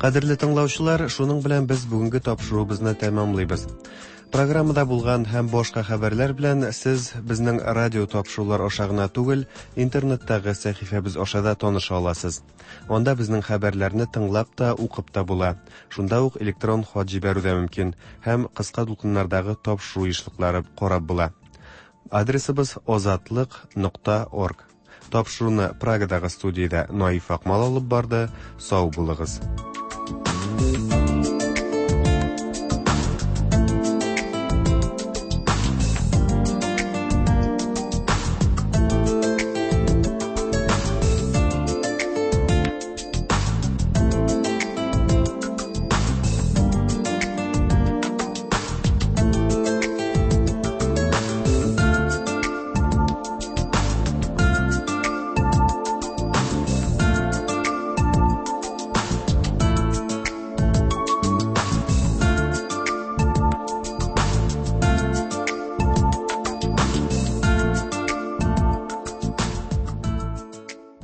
Кадерле тыңлаучылар, шуның белән без бүгенге тапшыруыбызны тәмамлыйбыз. Программада булган һәм башка хәбәрләр белән сез безнең радио тапшырулар аша гына түгел, интернеттагы сәхифәбез аша да таныша аласыз. Анда безнең хәбәрләрне тыңлап та, укып та була. Шунда ук электрон хат җибәрү дә мөмкин һәм кыска дулкыннардагы тапшыру ешлыклары карап була. Адресыбыз озатлык нокта орг. Тапшыруны Прагадагы студиядә Наиф Акмал алып барды. Сау булыгыз.